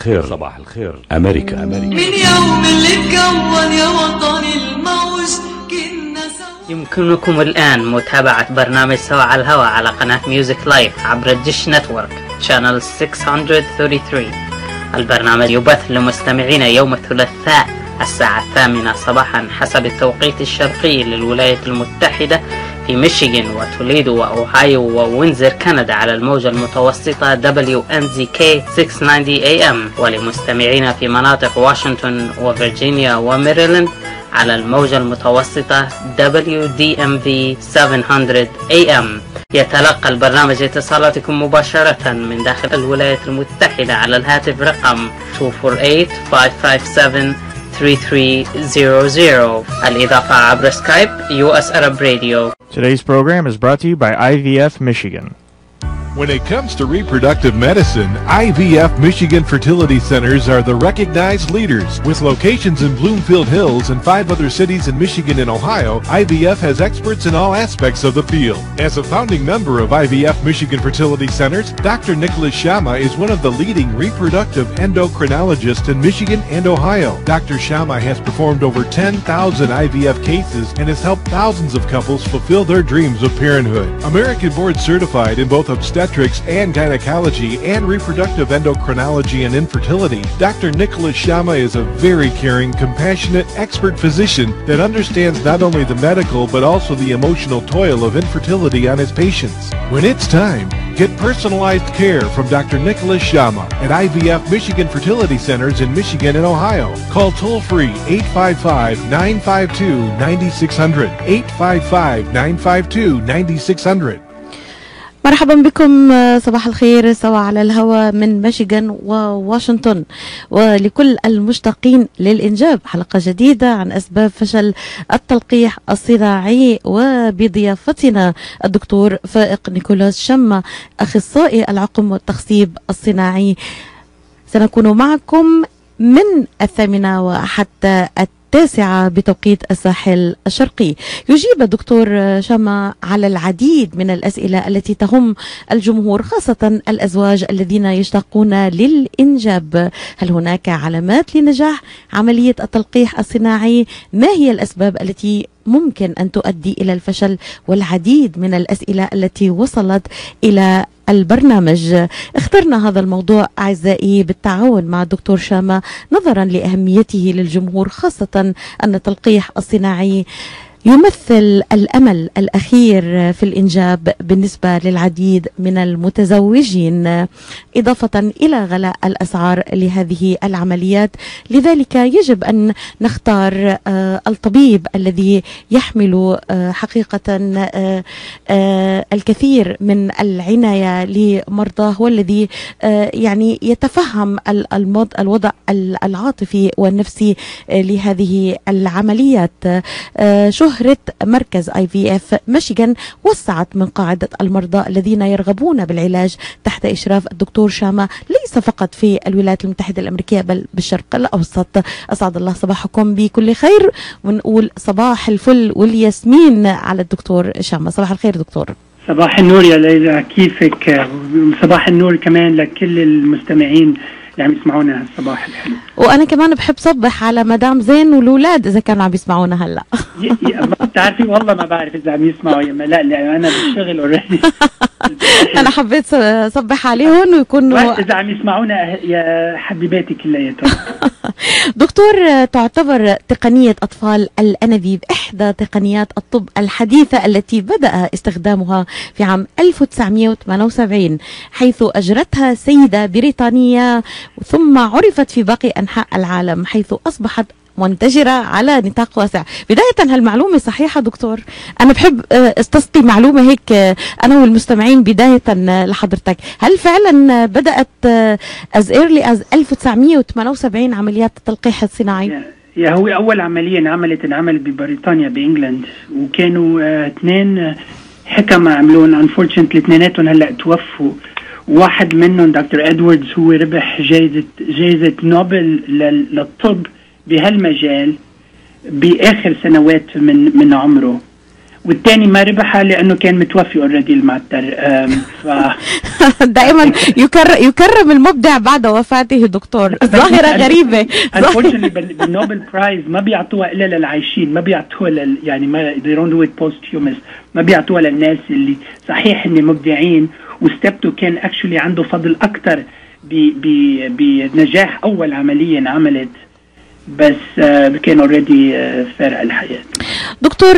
صباح الخير أمريكا. من يوم اللي اتكون يا وطني الموج كنا سوا. يمكنكم الآن متابعة برنامج سوا على الهواء على قناة ميوزك لايف عبر الديش نتورك شانل 633. البرنامج يبث لمستمعين يوم الثلاثاء الساعة 8 صباحا حسب التوقيت الشرقي للولايات المتحدة في ميشيغان وتوليدو وأوهايو ووينزر كندا على الموجة المتوسطة WNZK 690 AM، ولمستمعين في مناطق واشنطن وفرجينيا وميريلاند على الموجة المتوسطة WDMV 700 AM. يتلقى البرنامج اتصالاتكم مباشرة من داخل الولايات المتحدة على الهاتف رقم 248-557-3300. الإضافة عبر سكايب US Arab Radio. Today's program is brought to you by IVF Michigan. When it comes to reproductive medicine, IVF Michigan Fertility Centers are the recognized leaders. With locations in Bloomfield Hills and 5 other cities in Michigan and Ohio, IVF has experts in all aspects of the field. As a founding member of IVF Michigan Fertility Centers, Dr. Nicholas Shama is one of the leading reproductive endocrinologists in Michigan and Ohio. Dr. Shama has performed over 10,000 IVF cases and has helped thousands of couples fulfill their dreams of parenthood. American board certified in both obstetrics and gynecology and reproductive endocrinology and infertility, Dr. Nicholas Shama is a very caring, compassionate, expert physician that understands not only the medical but also the emotional toil of infertility on his patients. When it's time, get personalized care from Dr. Nicholas Shama at IVF Michigan Fertility Centers in Michigan and Ohio. Call toll-free 855-952-9600, 855-952-9600. مرحبا بكم، صباح الخير سوا على الهواء من ميشيغان وواشنطن، ولكل المشتاقين للإنجاب حلقة جديدة عن أسباب فشل التلقيح الصناعي، وبضيافتنا الدكتور فائق نيكولاس شما أخصائي العقم والتخصيب الصناعي. سنكون معكم من 8 وحتى 9 بتوقيت الساحل الشرقي. يجيب الدكتور شما على العديد من الأسئلة التي تهم الجمهور، خاصة الأزواج الذين يشتاقون للإنجاب. هل هناك علامات لنجاح عملية التلقيح الصناعي؟ ما هي الأسباب التي ممكن أن تؤدي إلى الفشل؟ والعديد من الأسئلة التي وصلت إلى البرنامج. اخترنا هذا الموضوع أعزائي بالتعاون مع الدكتور شاما نظرا لأهميته للجمهور، خاصة أن التلقيح الصناعي يمثل الأمل الأخير في الإنجاب بالنسبة للعديد من المتزوجين، إضافة إلى غلاء الأسعار لهذه العمليات. لذلك يجب أن نختار الطبيب الذي يحمل حقيقة الكثير من العناية لمرضاه، والذي يعني يتفهم الوضع العاطفي والنفسي لهذه العمليات. شهرة مركز IVF ميشيغان وسعت من قاعدة المرضى الذين يرغبون بالعلاج تحت إشراف الدكتور شاما، ليس فقط في الولايات المتحدة الأمريكية بل بالشرق الأوسط. أسعد الله صباحكم بكل خير، ونقول صباح الفل والياسمين على الدكتور شاما. صباح الخير دكتور. صباح النور يا ليلى، كيفك؟ صباح النور كمان لكل المستمعين اللي عم يسمعونا هالصباح الحلو. وانا كمان بحب صبح على مدام زين والولاد اذا كانوا عم يسمعونا هلا. بتعرفي والله ما بعرف اذا عم يسمعوا يا لا انا بالشغل اوريدي. انا حبيت صبح عليهم ويكونوا اذا عم يسمعونا يا حبيباتي كلياتهم. دكتور، تعتبر تقنية أطفال الأنابيب إحدى تقنيات الطب الحديثة التي بدأ استخدامها في عام 1978، حيث أجرتها سيدة بريطانية ثم عرفت في باقي أنحاء العالم، حيث أصبحت منتشرة على نطاق واسع. بداية هالمعلومة صحيحة دكتور؟ أنا بحب استسقي معلومة هيك أنا والمستمعين بداية لحضرتك. هل فعلا بدأت as early as 1978 عمليات التلقيح الصناعي؟ يا هو أول عملية انعملت ببريطانيا بإنجلند، وكانوا 2 حكمة عملون unfortunately، 2 هلأ توفوا. واحد منهم دكتور إدواردز هو ربح جائزة نوبل للطب بهالمجال بآخر سنوات من عمره، والتاني ما ربحها لانه كان متوفي اوريدي المعتر. دائما يكرم المبدع بعد وفاته دكتور. ظاهرة غريبة. Unfortunately بالنوبل برايز ما بيعطوها الا للعايشين، ما بيعطوها يعني ما they don't do it posthumous، ما بيعطوها للناس اللي صحيح اني مبدعين وستبتو كان اكشولي عنده فضل اكثر بنجاح اول عملية انعملت، بس كان اوريدي فارق الحياة. دكتور،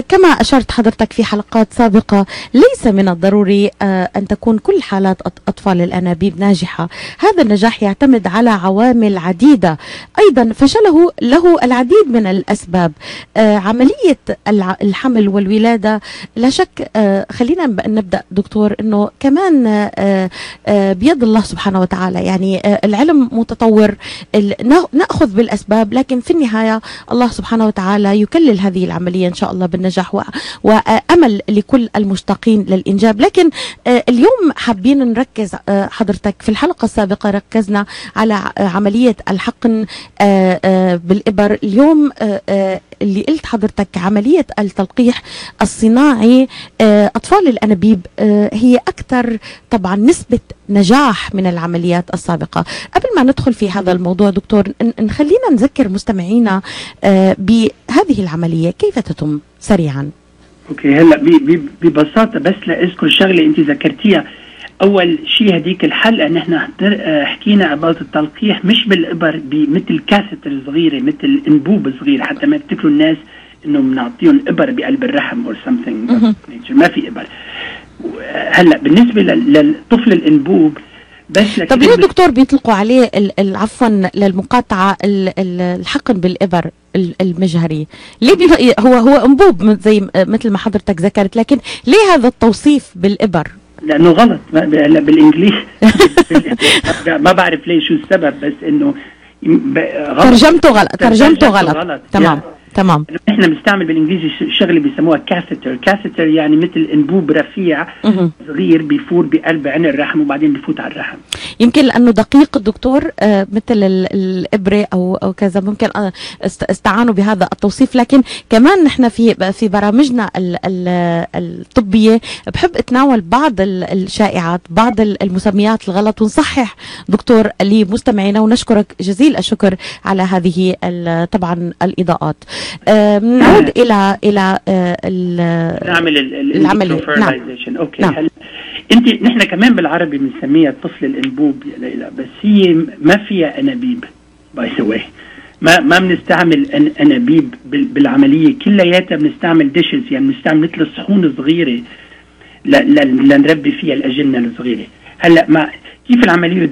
كما أشرت حضرتك في حلقات سابقة، ليس من الضروري أن تكون كل حالات أطفال الأنابيب ناجحة. هذا النجاح يعتمد على عوامل عديدة، أيضا فشله له العديد من الأسباب. عملية الحمل والولادة لا شك، خلينا نبدأ دكتور أنه كمان بيد الله سبحانه وتعالى. يعني العلم متطور، نأخذ بالأسباب، لكن في النهاية الله سبحانه وتعالى يكلل هذه العملية إن شاء الله بالنجاح، وأمل لكل المشتاقين للإنجاب. لكن اليوم حابين نركز، حضرتك في الحلقة السابقة ركزنا على عملية الحقن بالإبر. اليوم اللي قلت حضرتك عملية التلقيح الصناعي، أطفال الأنابيب هي أكثر طبعا نسبة نجاح من العمليات السابقة. قبل ما ندخل في هذا الموضوع دكتور، خلينا نذكر مستمعينا بهذه العملية كيف تتم سريعا. اوكي، هلا ببساطة بس لأذكر شغلة انت ذكرتيها. اول شيء هديك الحلقة نحن حكينا عن التلقيح مش بالإبر، بمثل كاثتر صغيرة، مثل انبوب صغير، حتى ما يفتكروا الناس انه بنعطيهم إبر بقلب الرحم or something. ما في إبر. هلا بالنسبة للطفل الانبوب بس. طب ليه دكتور بيطلقوا عليه عفوا للمقاطعة الحقن بالإبر المجهري؟ ليه هو انبوب زي مثل ما حضرتك ذكرت، لكن ليه هذا التوصيف بالإبر؟ لأنه غلط بالإنجليز. ما بعرف ليه شو السبب، بس إنه ترجمته غلط. تمام. احنا بنستعمل بالانجليزي شغله بيسموها كاثيتر، يعني مثل انبوب رفيع صغير بيفور بقلب عين الرحم وبعدين بيفوت على الرحم. يمكن لانه دقيق الدكتور، مثل الابره او كذا، ممكن استعانوا بهذا التوصيف. لكن كمان نحن في برامجنا الطبيه بحب اتناول بعض الشائعات، بعض المسميات الغلط، ونصحح دكتور لمستمعينا، ونشكرك جزيل الشكر على هذه طبعا الاضاءات. نعود الى نعمل العمليه. نعم. اوكي. نعم. نحن كمان بالعربي بنسميها الطفل الانبوب يا ليلى، بس هي ما فيها انابيب باي ذا واي. ما بنستعمل انابيب بالعمليه كلياتها، بنستعمل ديشز، يعني بنستعمل مثل الصحون صغيره لنربي فيها الاجنه الصغيره. هلا كيف العمليه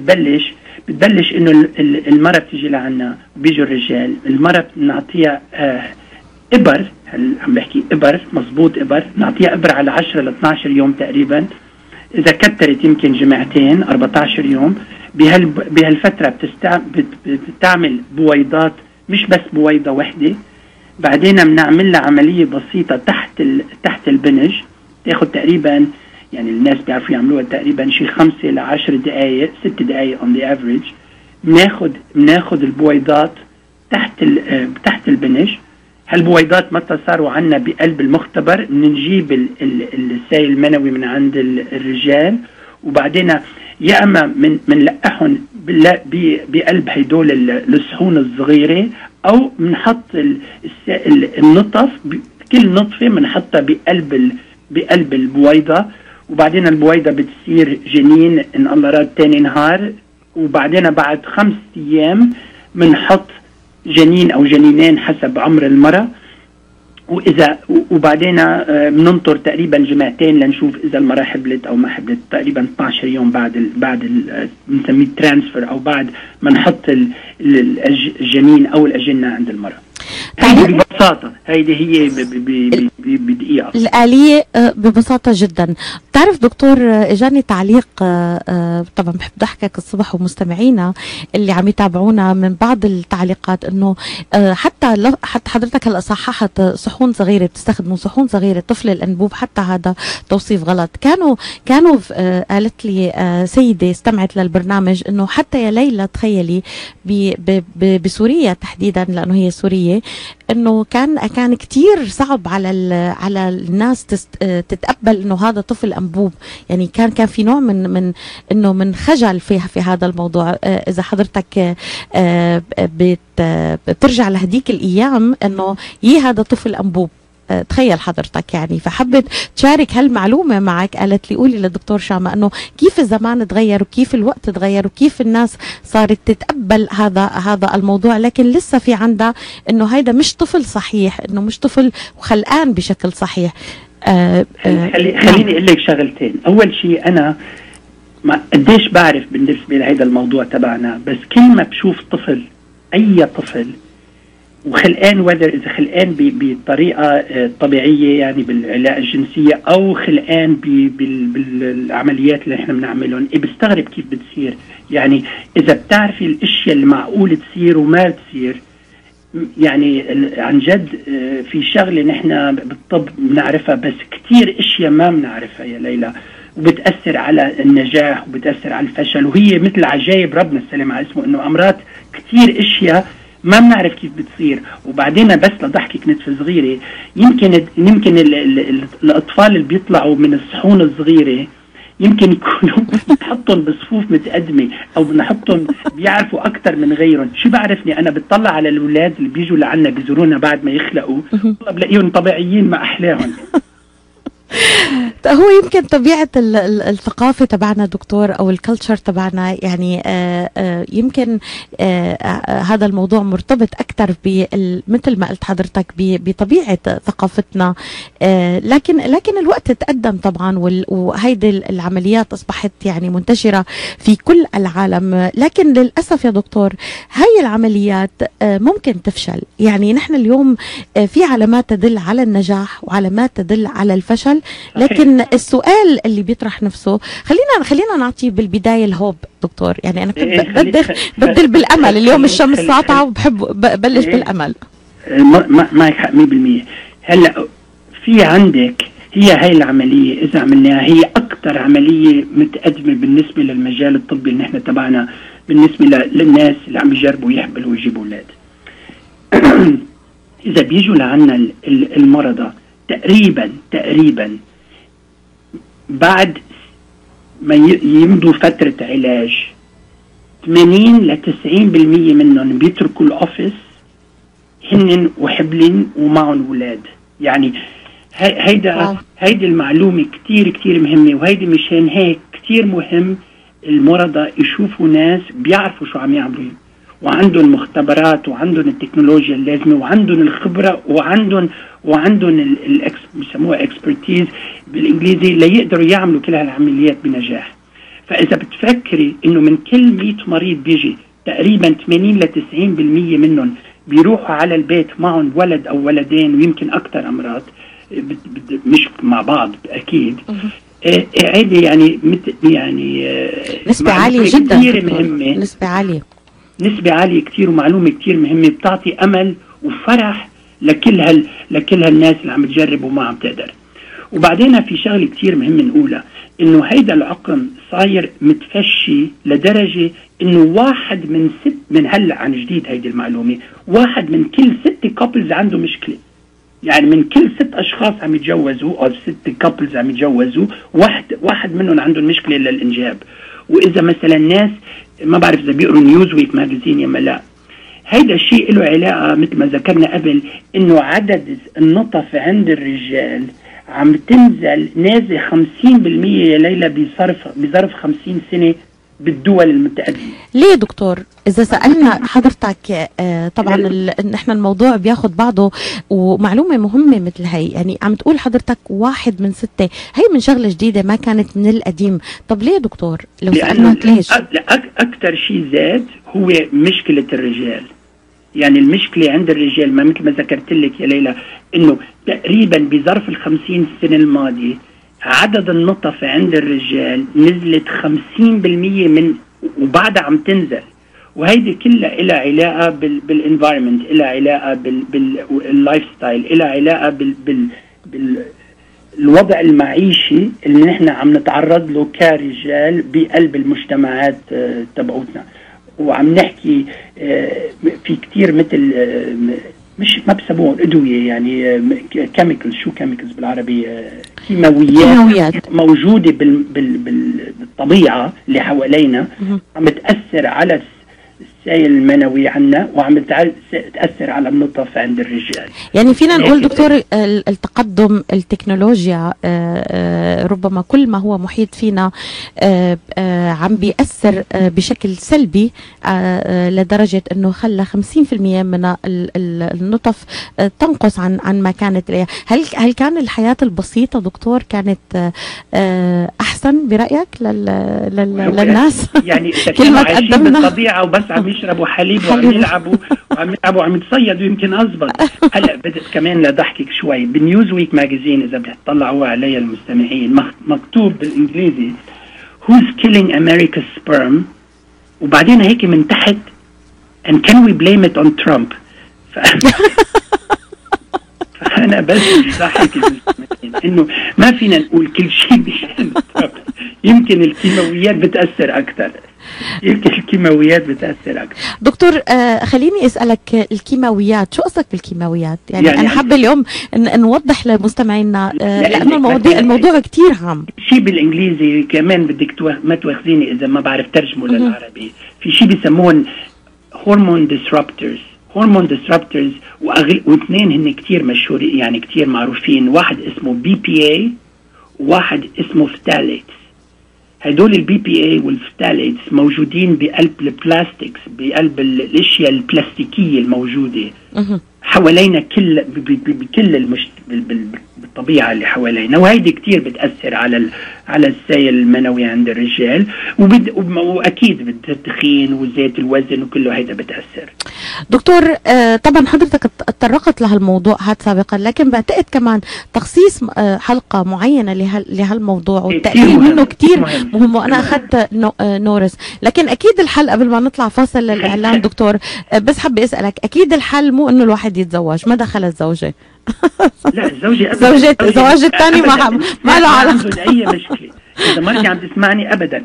بتبلش انه المرأة بتيجي لعنا، بيجوا الرجال، المرأة بنعطيها إبر، عم بحكي إبر مزبوط، إبر نعطيها إبر على 10 ل 12 يوم تقريبا، إذا كترت يمكن جمعتين 14 يوم. بهالفترة بتعمل بويضات، مش بس بويضة واحدة. بعدين بنعمل لها عملية بسيطة تحت البنج، تاخد تقريبا، يعني الناس بيعرفوا يعملوها تقريبا شي 5 ل 10 دقائق، 6 دقائق on the average. بناخد البويضات تحت البنج. هالبويضات متى صاروا عنا بقلب المختبر، بنجيب السائل المنوي من عند الرجال، وبعدين يا اما بنلقحهم بقلب هدول الصحون الصغيره، او بنحط النطف، كل نطفه بنحطها بقلب البويضه، وبعدين البويضة بتصير جنين إن الله راد تاني نهار، وبعدين بعد 5 أيام بنحط جنين أو جنينين حسب عمر المرأة. وبعدين بننطر تقريبا جمعتين لنشوف إذا المرأة حبلت أو ما حبلت، تقريبا 12 يوم بعد بنسميه ترانسفير، أو بعد ما نحط الجنين أو الأجنة عند المرأة. ببساطة هيدي هي بدقيقة الآلية ببساطة جدا. تعرف دكتور، اجاني تعليق، طبعا بحب ضحكك الصبح ومستمعينا اللي عم يتابعونا من بعض التعليقات، انه حتى حضرتك هلا صححت صحون صغيرة، بتستخدموا صحون صغيرة طفل الانبوب، حتى هذا توصيف غلط. كانوا قالت لي سيدة استمعت للبرنامج انه حتى يا ليلى تخيلي بسوريا تحديدا، لانه هي سورية، انه كان كتير صعب على الناس تتقبل انه هذا طفل انبوب. يعني كان في نوع من خجل في هذا الموضوع. اذا حضرتك بترجع لهديك الايام انه هذا طفل انبوب، تخيل حضرتك يعني. فحبت تشارك هالمعلومة معك، قالت لي قولي للدكتور شامة انه كيف الزمان تغير وكيف الوقت تغير وكيف الناس صارت تتقبل هذا الموضوع، لكن لسه في عندها انه هيدا مش طفل صحيح، انه مش طفل وخلقان بشكل صحيح. خليني اقول لك شغلتين. اول شيء انا ما قديش بعرف بالنسبة لهذا الموضوع تبعنا، بس كل ما بشوف طفل، اي طفل وخلقان، إذا خلقان بطريقة طبيعية يعني بالعلاقة الجنسية أو خلقان بالعمليات اللي احنا بنعملهم، بستغرب كيف بتصير. يعني إذا بتعرفي الأشياء اللي معقول تصير وما تصير، يعني عن جد في شغلة نحن بالطب بنعرفها، بس كتير أشياء ما بنعرفها يا ليلى، وبتأثر على النجاح وبتأثر على الفشل، وهي مثل عجائب ربنا السلام على اسمه، إنه أمراض كتير أشياء ما بنعرف كيف بتصير. وبعدين بس لضحكك نتفة صغيرة، يمكن الأطفال اللي بيطلعوا من الصحون الصغيرة يمكن يكونوا نحطهم بصفوف متقدمة أو بنحطهم بيعرفوا أكتر من غيرهم. شو بعرفني أنا بتطلع على الأولاد اللي بيجوا لعنا بيزورونا بعد ما يخلقوا، والله بلاقيهم طبيعيين ما أحلاهم. هو يمكن طبيعة الثقافة تبعنا دكتور أو الكالتشر تبعنا، يعني يمكن هذا الموضوع مرتبط أكثر مثل ما قلت حضرتك بطبيعة ثقافتنا. لكن الوقت تقدم طبعا، وهيدي العمليات أصبحت يعني منتشرة في كل العالم. لكن للأسف يا دكتور هاي العمليات ممكن تفشل. يعني نحن اليوم في علامات تدل على النجاح وعلامات تدل على الفشل، لكن السؤال اللي بيطرح نفسه، خلينا نعطي بالبداية الهوب دكتور. يعني أنا بدل بالأمل. اليوم الشمس ساطعة وبحب بلش بالأمل. معك حق 100%. هلا في عندك هاي العملية إذا عملناها، هي أكتر عملية متقدمة بالنسبة للمجال الطبي اللي نحن تبعنا، بالنسبة للناس اللي عم يجربوا يحبلوا ويجيبوا أولاد. إذا بيجوا لعنا المرضى تقريبا بعد ما يمضوا فترة علاج 80 ل 90% منهم بيتركوا الأوفيس هن وحبلين ومعهم أولاد. يعني هيدي المعلومة كتير مهمة، وهيدي مشان هيك كتير مهم المرضى يشوفوا ناس بيعرفوا شو عم يعملوا، وعندهم مختبرات وعندهم التكنولوجيا اللازمة وعندهم الخبرة وعندهم بيسموها اكسبرتيز بالانجليزي، ليقدروا يعملوا كل هالعمليات بنجاح. فاذا بتفكري انه من كل 100 مريض بيجي تقريبا 80 ل 90% منهم بيروحوا على البيت معهم ولد او ولدين ويمكن اكثر امراض مش مع بعض اكيد. هذه يعني نسبة عالية جدا، مهمة، نسبة عالية كتير، ومعلومة كتير مهمة بتعطي أمل وفرح لكل هالناس اللي عم تجرب وما عم تقدر. وبعدين في شغلة كتير مهم نقولها، إنه هيدا العقم صاير متفشي لدرجة إنه 1 من هلأ عن جديد هيدي المعلومة، 1 من كل 6 كابلز عنده مشكلة. يعني من كل 6 أشخاص عم يتجوزوا أو 6 كابلز عم يتجوزوا، واحد منهم عندهم مشكلة للإنجاب. وإذا مثلا ناس ما بعرف إذا بيقروا نيوزويك ماجازين يا لا، هيدا الشيء له علاقة مثل ما ذكرنا قبل، إنه عدد النطف عند الرجال عم تنزل نازل 50% يا ليلى بظرف 50 سنة بالدول المتقدمة. ليه دكتور؟ إذا سألنا حضرتك طبعا نحن الموضوع بياخد بعضه، ومعلومة مهمة مثل هاي، يعني عم تقول حضرتك 1 من 6، هاي من شغلة جديدة ما كانت من القديم. طب ليه دكتور؟ لو سألناك ليش؟ أكتر شيء زاد هو مشكلة الرجال. يعني المشكلة عند الرجال ما مثل ما ذكرت لك يا ليلى، إنه تقريبا بظرف 50 سنة الماضية عدد النطف عند الرجال نزلت 50% من وبعدها عم تنزل. وهيدي كلها إلها علاقة بالانفايرمنت، إلها علاقة باللايف ستايل، إلها علاقة بالوضع المعيشي اللي نحن عم نتعرض له كرجال بقلب المجتمعات تبعوتنا. وعم نحكي في كتير مثل مش ما بسموه أدوية، يعني كيميكلز. شو كيميكلز بالعربي؟ كيماويات موجودة بالطبيعة اللي حوالينا، عم تأثر على السائل المنوي عنا، وعم تأثر على النطف عند الرجال. يعني فينا نقول دكتور التقدم التكنولوجيا ربما كل ما هو محيط فينا عم بيأثر بشكل سلبي لدرجة انه خلى 50% من النطف تنقص عن ما كانت عليها. هل كان الحياة البسيطة دكتور كانت احسن برأيك للناس؟ يعني كل ما عايشين تقدمنا بالطبيعة وبس عم يشربوا حليب وعم يلعبوا وعم يتصيدوا يمكن أزبط. هلا بدأت كمان لضحكك شوي بنيوز ويك ماجازين، إذا بتطلعوا عليها المستمعين، مكتوب بالإنجليزي Who's killing America's sperm، وبعدين هيك من تحت and can we blame it on Trump. فأنا بس ضحك إنه ما فينا نقول كل شيء بشأن ترامب. يمكن الكيماويات بتأثر أكثر. دكتور خليني أسألك الكيماويات، شو قصدك بالكيماويات؟ يعني أنا حابة اليوم نوضح لمستمعينا لأنه الموضوع كتير عام. شيء بالإنجليزي كمان بدك ما تواخذيني إذا ما بعرف ترجمه للعربي. في شيء بيسمون هرمون ديسربترز. واثنين هن كتير مشهورين، يعني كتير معروفين. واحد اسمه BPA وواحد اسمه فتاليتس. هدول البي بي اي والفتاليتس موجودين بقلب البلاستيكس، بقلب الاشياء البلاستيكيه الموجوده حوالينا بكل بالطبيعه اللي حوالينا، وهيدي كتير بتاثر على السائل المنوي عند الرجال، واكيد بالتدخين وزيت الوزن وكله هيدا بتاثر. دكتور طبعا حضرتك تطرقت لهالموضوع هذا سابقا، لكن بعتقد كمان تخصيص حلقه معينه لهالموضوع والتأكيد منه كتير مهم، وانا اخذت نورس. لكن اكيد الحل قبل ما نطلع فاصل للاعلان دكتور، بس حابه اسالك، اكيد الحل مو انه الواحد يتزوج، ما دخل الزوجه. لا الزوجه الزواج الثاني ما له علاقه اي مشكله، اذا ما عم تسمعني ابدا.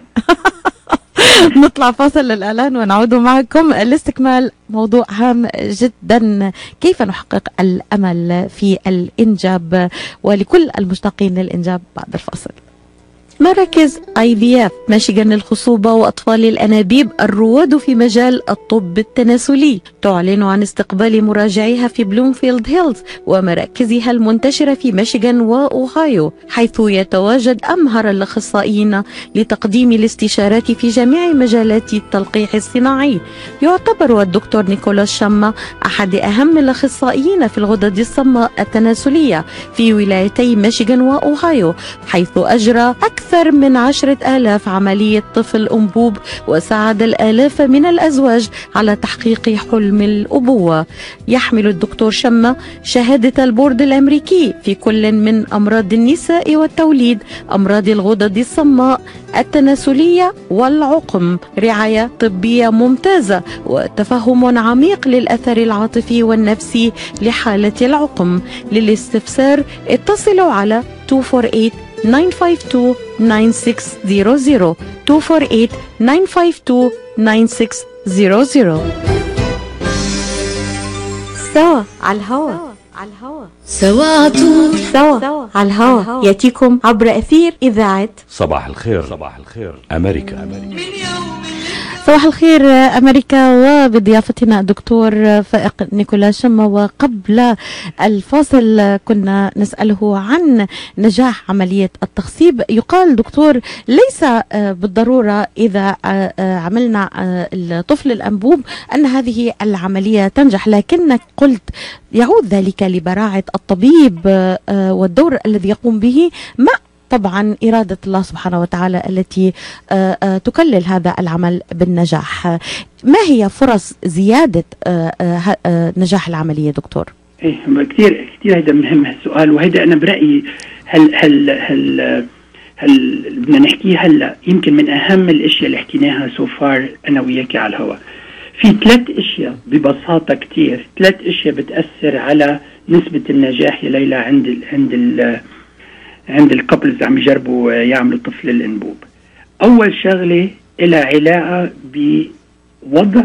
نطلع فاصل للإعلان ونعود معكم لاستكمال موضوع هام جدا، كيف نحقق الأمل في الإنجاب ولكل المشتاقين للإنجاب بعد الفاصل. مراكز IVF ميشيغان للخصوبة وأطفال الأنابيب الرواد في مجال الطب التناسلي تعلن عن استقبال مراجعيها في بلومفيلد هيلز ومراكزها المنتشرة في ميشيغان وأوهايو، حيث يتواجد أمهر الأخصائيين لتقديم الاستشارات في جميع مجالات التلقيح الصناعي. يعتبر الدكتور نيكولاس شاما أحد أهم الأخصائيين في الغدد الصماء التناسلية في ولايتي ميشيغان وأوهايو، حيث أجرى أكثر من 10,000 عملية طفل أنبوب وساعد الآلاف من الأزواج على تحقيق حلم الأبوة. يحمل الدكتور شما شهادة البورد الأمريكي في كل من أمراض النساء والتوليد، أمراض الغدد الصماء التناسلية والعقم، رعاية طبية ممتازة وتفهم عميق للأثر العاطفي والنفسي لحالة العقم. للاستفسار اتصلوا على 248-952-9600 248-952-9600. سوا على الهواء. سوا على طول. سوا على الهواء يأتيكم عبر أثير إذاعة صباح الخير أمريكا. صباح الخير أمريكا، وبضيافتنا الدكتور فائق نيكولاس شما. وقبل الفاصل كنا نسأله عن نجاح عملية التخصيب. يقال دكتور ليس بالضرورة إذا عملنا الطفل الأنبوب أن هذه العملية تنجح، لكنك قلت يعود ذلك لبراعة الطبيب والدور الذي يقوم به مع طبعا إرادة الله سبحانه وتعالى التي تكلل هذا العمل بالنجاح. ما هي فرص زيادة نجاح العملية دكتور؟ كثير هذا مهم هالسؤال، وهذا أنا برأيي هل بدنا نحكيه هلا يمكن من أهم الأشياء اللي حكيناها سوفار أنا وياكي على الهواء. في 3 أشياء ببساطة كثير، 3 أشياء بتأثر على نسبة النجاح يا ليلى عند الكابلز عم يجربوا يعملوا طفل الأنبوب. أول شغلة إلها علاقة بوضع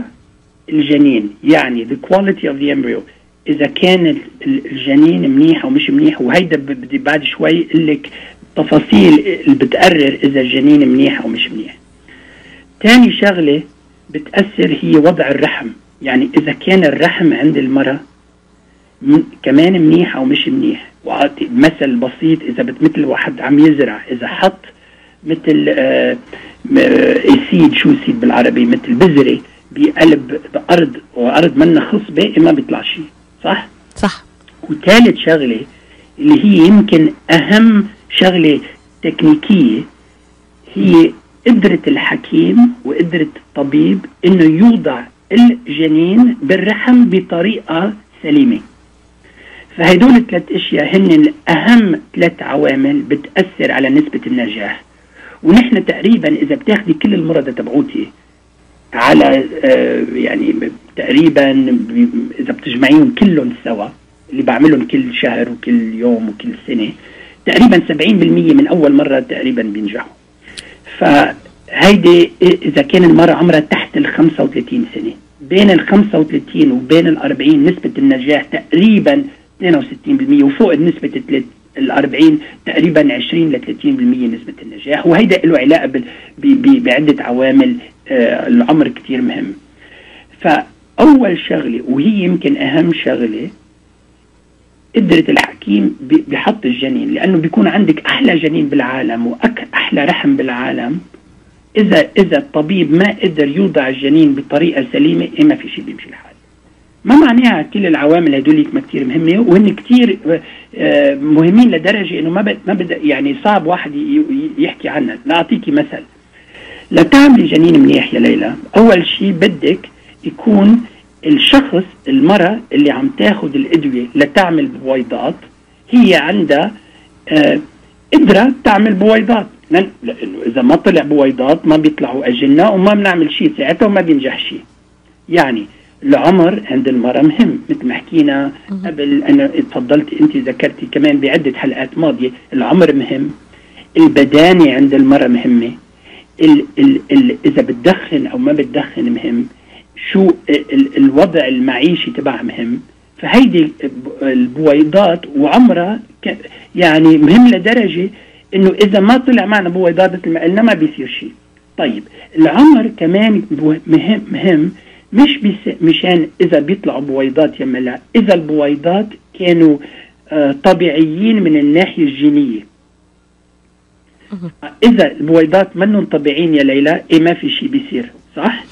الجنين، يعني the quality of the embryo، اذا كان الجنين منيح او مش منيح، وهيدا بدي بعد شوي اقول لك تفاصيل اللي بتقرر اذا الجنين منيح او مش منيح. تاني شغله بتاثر هي وضع الرحم، يعني اذا كان الرحم عند المرأة كمان منيح او مش منيح. واعطي مثل بسيط، اذا مثل واحد عم يزرع، اذا حط مثل سيد، شو سيد بالعربي، مثل بذره بقلب بارض وارض منها خصبه ما بيطلع شيء، صح؟ صح. وثالث شغله اللي هي يمكن اهم شغله تكنيكيه، هي قدرة الحكيم وقدرة الطبيب انه يوضع الجنين بالرحم بطريقة سليمة. فهدول 3 اشياء هن اهم 3 عوامل بتأثر على نسبة النجاح. ونحن تقريبا اذا بتاخدي كل المرضى تبعوتي على يعني تقريبا اذا بتجمعيهم كلهم سوا اللي بعملهم كل شهر وكل يوم وكل سنة، تقريبا 70% من اول مرة تقريبا بينجحوا. فهيدي اذا كان المرأة عمرها تحت 35 سنة. بين 35 وبين 40 نسبة النجاح تقريبا 62%، وفوق نسبة 40 تقريبا 20 ل 30% نسبة النجاح. وهيدا له علاقة بعدة عوامل. العمر كتير مهم. فأول شغلة وهي يمكن أهم شغلة، قدرة الحكيم بحط الجنين، لأنه بيكون عندك أحلى جنين بالعالم وأحلى رحم بالعالم. إذا الطبيب ما قدر يوضع الجنين بطريقة سليمة، ما في شيء بيمشي الحال. ما معناها كل العوامل هدول ما كتير مهمة، وهن كتير مهمين لدرجة إنه ما بدأ يعني صعب واحد يحكي عنها. لأعطيكي مثل، لتعملي جنين منيح يا ليلى، أول شيء بدك يكون الشخص، المرأة اللي عم تاخد الأدوية لتعمل بويضات، هي عندها قدرة تعمل بويضات، لأنه إذا ما طلع بويضات ما بيطلعوا أجنة وما بنعمل شيء ساعتها وما بينجح شيء. يعني العمر عند المرأة مهم، مثل ما حكينا قبل، أنا اتفضلت أنت ذكرتي كمان بعدة حلقات ماضية، العمر مهم، البدانة عند المرأة مهمة، إذا بتدخن أو ما بتدخن مهم، شو الوضع المعيشي تبعها مهم. فهيدي البويضات وعمرها يعني مهم لدرجة إنه إذا ما طلع معنا بويضات مثل ما قلنا ما بيصير شيء. طيب العمر كمان مهم مش مشان إذا بيطلعوا بويضات يما لا، إذا البويضات كانوا طبيعيين من الناحية الجينية. إذا البويضات منهم طبيعيين يا ليلى، ما في شيء بيصير، صح؟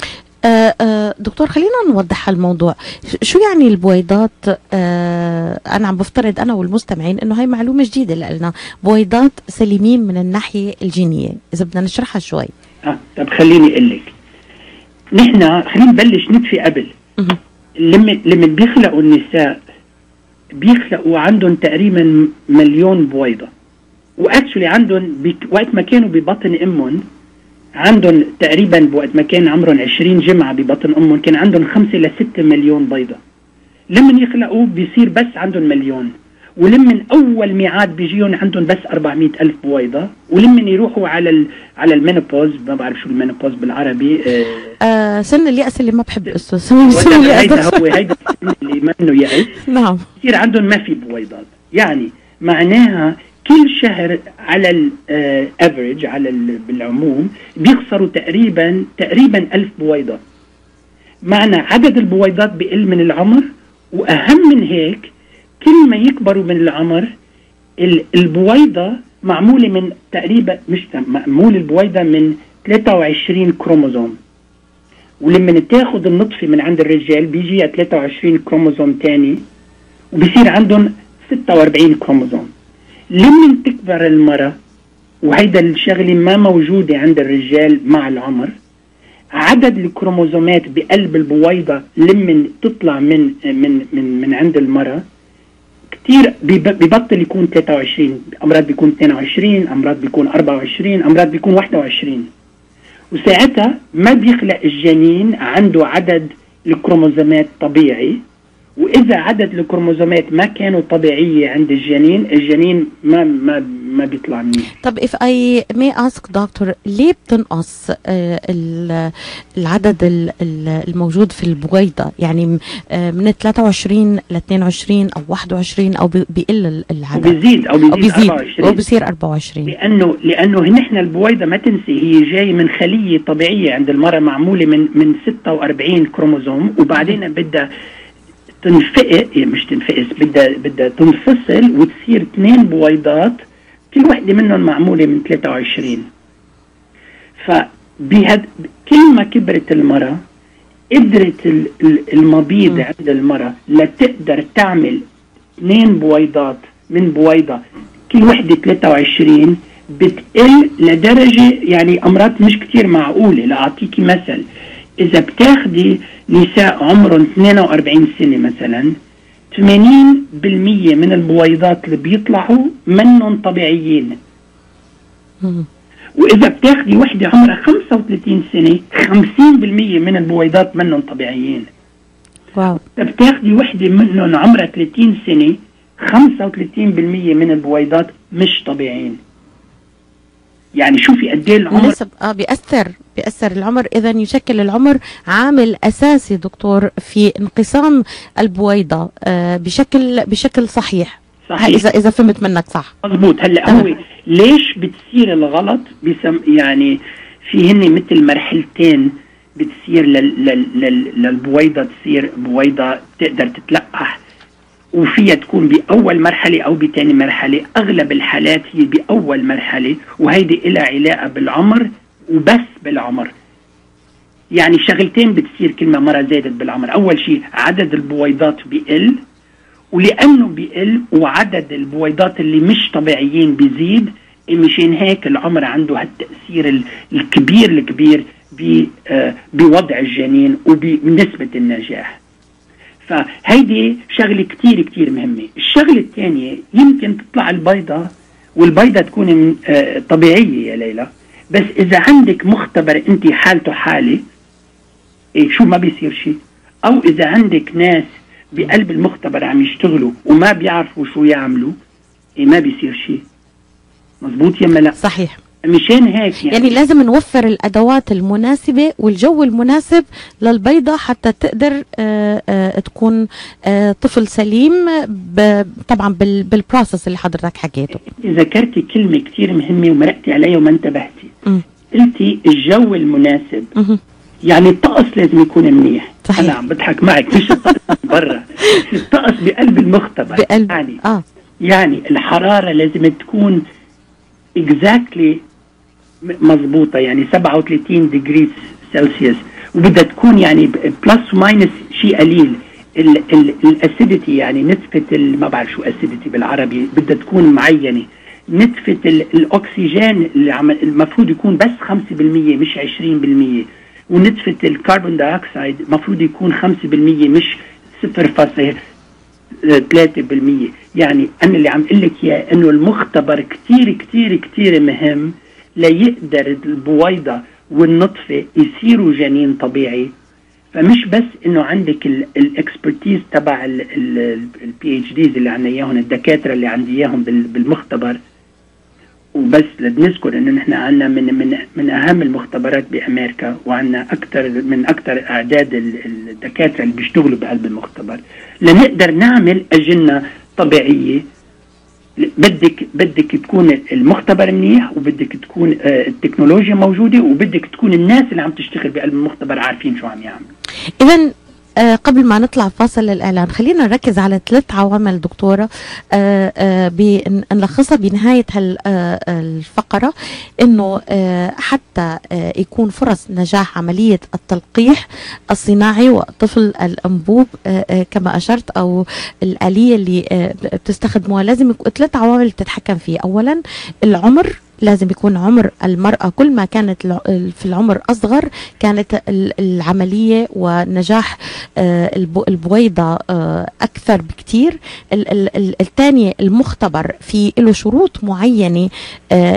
دكتور خلينا نوضح الموضوع. شو يعني البويضات؟ أنا عم بفترض أنا والمستمعين إنه هاي معلومة جديدة لنا، بويضات سليمين من الناحية الجينية، إذا بدنا نشرحها شوي. طب خليني أقول لك، نحن خلينا نبلش نطفي قبل. لما بيخلقوا النساء بيخلقوا عندهم تقريبا 1,000,000 بويضة، واكشولي عندهم وقت ما كانوا ببطن امهم عندهم تقريبا وقت ما كان عمرهم 20 جمعة ببطن امهم كان عندهم 5 ل 6 مليون بيضة. لما يخلقوا بيصير بس عندهم 1,000,000، ولما اول ميعاد بيجيهم عندهم بس 400,000 بويضة، ولما يروحوا على المينوبوز، ما بعرف شو المينوبوز بالعربي، سن اليأس اللي ما بحب اسمه، هيدا هو هيدا اللي منه يأس. نعم. يصير عندهم ما في بويضات. يعني معناها كل شهر على الافريج بالعموم بيخسروا تقريبا 1000 بويضة. معنى عدد البويضات بيقل من العمر، واهم من هيك كل ما يكبروا من العمر البويضة معمولة من تقريبا معمول البويضة من 23 كروموزوم، ولما تاخد النطفة من عند الرجال بيجي 23 كروموزوم تاني وبيصير عندهم 46 كروموزوم. لما تكبر المرأة، وهيدا الشغلة ما موجودة عند الرجال مع العمر، عدد الكروموزومات بقلب البويضة لما تطلع من عند المرأة كتير ببطل يكون 23، أمراض بيكون 22، أمراض بيكون 24، أمراض بيكون 21. وساعتها ما بيخلق الجنين عنده عدد الكروموزومات طبيعي، وإذا عدد الكروموزومات ما كانوا طبيعية عند الجنين ما ما بيطلع منيح. طب if I may ask doctor ليه بتنقص العدد الموجود في البويضة؟ يعني من 23 ل 22 أو 21 أو بيقل العدد؟ وبيزيد 24 أو بيصير 24. لأنه نحن البويضة ما تنسي هي جاي من خلية طبيعية عند المرأة معمولة من 46 كروموزوم، وبعدين بدها مش تنفقس، بدها تنفصل وتصير 2 بويضات كل وحدة منهم معمولة من 23. كل ما كبرت المرأة قدرت المبيض عند المرأة لتقدر تعمل 2 بويضات من بويضة كل وحدة 23 بتقل لدرجة يعني أمراض مش كتير معقولة. لأعطيكي مثل، إذا بتاخدي نساء عمرهم 42 سنة مثلا 80% من البويضات اللي بيطلعوا منهم طبيعيين. وإذا بتاخدي وحدة عمرها 35 سنة 50% من البويضات منهم طبيعيين. واو. إذا بتاخدي وحدة منهم عمرها 30 سنة 35% من البويضات مش طبيعيين. يعني شوفي قد ايه العمر بيأثر العمر. إذا يشكل العمر عامل أساسي دكتور في انقسام البويضة بشكل صحيح. إذا فهمت منك صح. مضبوط. هلا هو ليش بتصير الغلط يعني في هن مثل مرحلتين بتصير للبويضة، تصير بويضة تقدر تتلقح، وفيها تكون بأول مرحلة أو بتاني مرحلة. أغلب الحالات هي بأول مرحلة، وهيدي إلها علاقة بالعمر وبس بالعمر. يعني شغلتين بتصير كل ما مرة زادت بالعمر. أول شيء عدد البويضات بيقل، ولأنه بيقل وعدد البويضات اللي مش طبيعيين بيزيد، مشان هيك العمر عنده هالتأثير الكبير بوضع الجنين وبنسبة النجاح. فهيدي شغلة كتير مهمة. الشغلة الثانية، يمكن تطلع البيضة والبيضة تكون طبيعية يا ليلى، بس إذا عندك مختبر أنت حالته حالة شو ما بيصير شيء، أو إذا عندك ناس بقلب المختبر عم يشتغلوا وما بيعرفوا شو يعملوا ما بيصير شيء. مزبوط يا ملا؟ صحيح. مشان هيك يعني لازم نوفر الأدوات المناسبة والجو المناسب للبيضة حتى تقدر تكون طفل سليم، طبعا بالبروسس اللي حضرتك حكيته. ذكرتي كلمة كتير مهمة ومرقتي عليها وما انتبهتي. قلتي الجو المناسب. يعني الطقس لازم يكون منيح. صحيح. أنا عم بضحك معك، مش الطقس برا، الطقس بقلب المختبر. يعني الحرارة لازم تكون exactly مضبوطة، يعني 37 ديجري سلسيوس، وبدها تكون يعني بلس وماينس شيء قليل. الاسيديتي يعني نسبة ما بعرف شو اسيديتي بالعربي، بدها تكون معينة. نسبة الأكسجين اللي المفروض يكون بس 5% مش 20%، ونسبة الكربون دايوكسيد المفروض يكون 5% مش 0.3%. يعني أنا اللي عم قلك يا إنه المختبر كتير مهم ليقدر البويضة والنطفة يصيروا جنين طبيعي. فمش بس إنه عندك الإكسبرتيز تبع الPhDs اللي عنا إياهم، الدكاترة اللي عندي إياهم بالمختبر وبس. لنذكر إنه نحن عنا من أهم المختبرات بأمريكا، وعنا أكثر أعداد الدكاترة اللي بيشتغلوا بقلب المختبر. لنقدر نعمل أجنة طبيعية بدك تكون المختبر منيح، وبدك تكون التكنولوجيا موجودة، وبدك تكون الناس اللي عم تشتغل بقلب المختبر عارفين شو عم يعملوا. إذن قبل ما نطلع فاصل للإعلان خلينا نركز على 3 عوامل دكتورة نلخصها بنهاية الفقرة، إنه حتى يكون فرص نجاح عملية التلقيح الصناعي وطفل الأنبوب كما أشرت، أو الآلية اللي بتستخدموها، لازم يكون 3 عوامل تتحكم فيه. أولا العمر، لازم يكون عمر المرأة كل ما كانت في العمر أصغر كانت العملية ونجاح البويضة أكثر بكتير. الثاني المختبر في له شروط معينة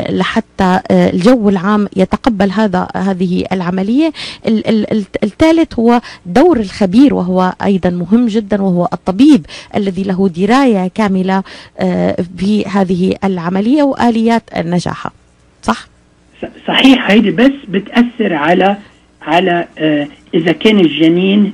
لحتى الجو العام يتقبل هذه العملية. الثالث هو دور الخبير، وهو أيضا مهم جدا، وهو الطبيب الذي له دراية كاملة بهذه العملية وآليات نجاحها. صح؟ صحيح. هيدي بس بتأثر على إذا كان الجنين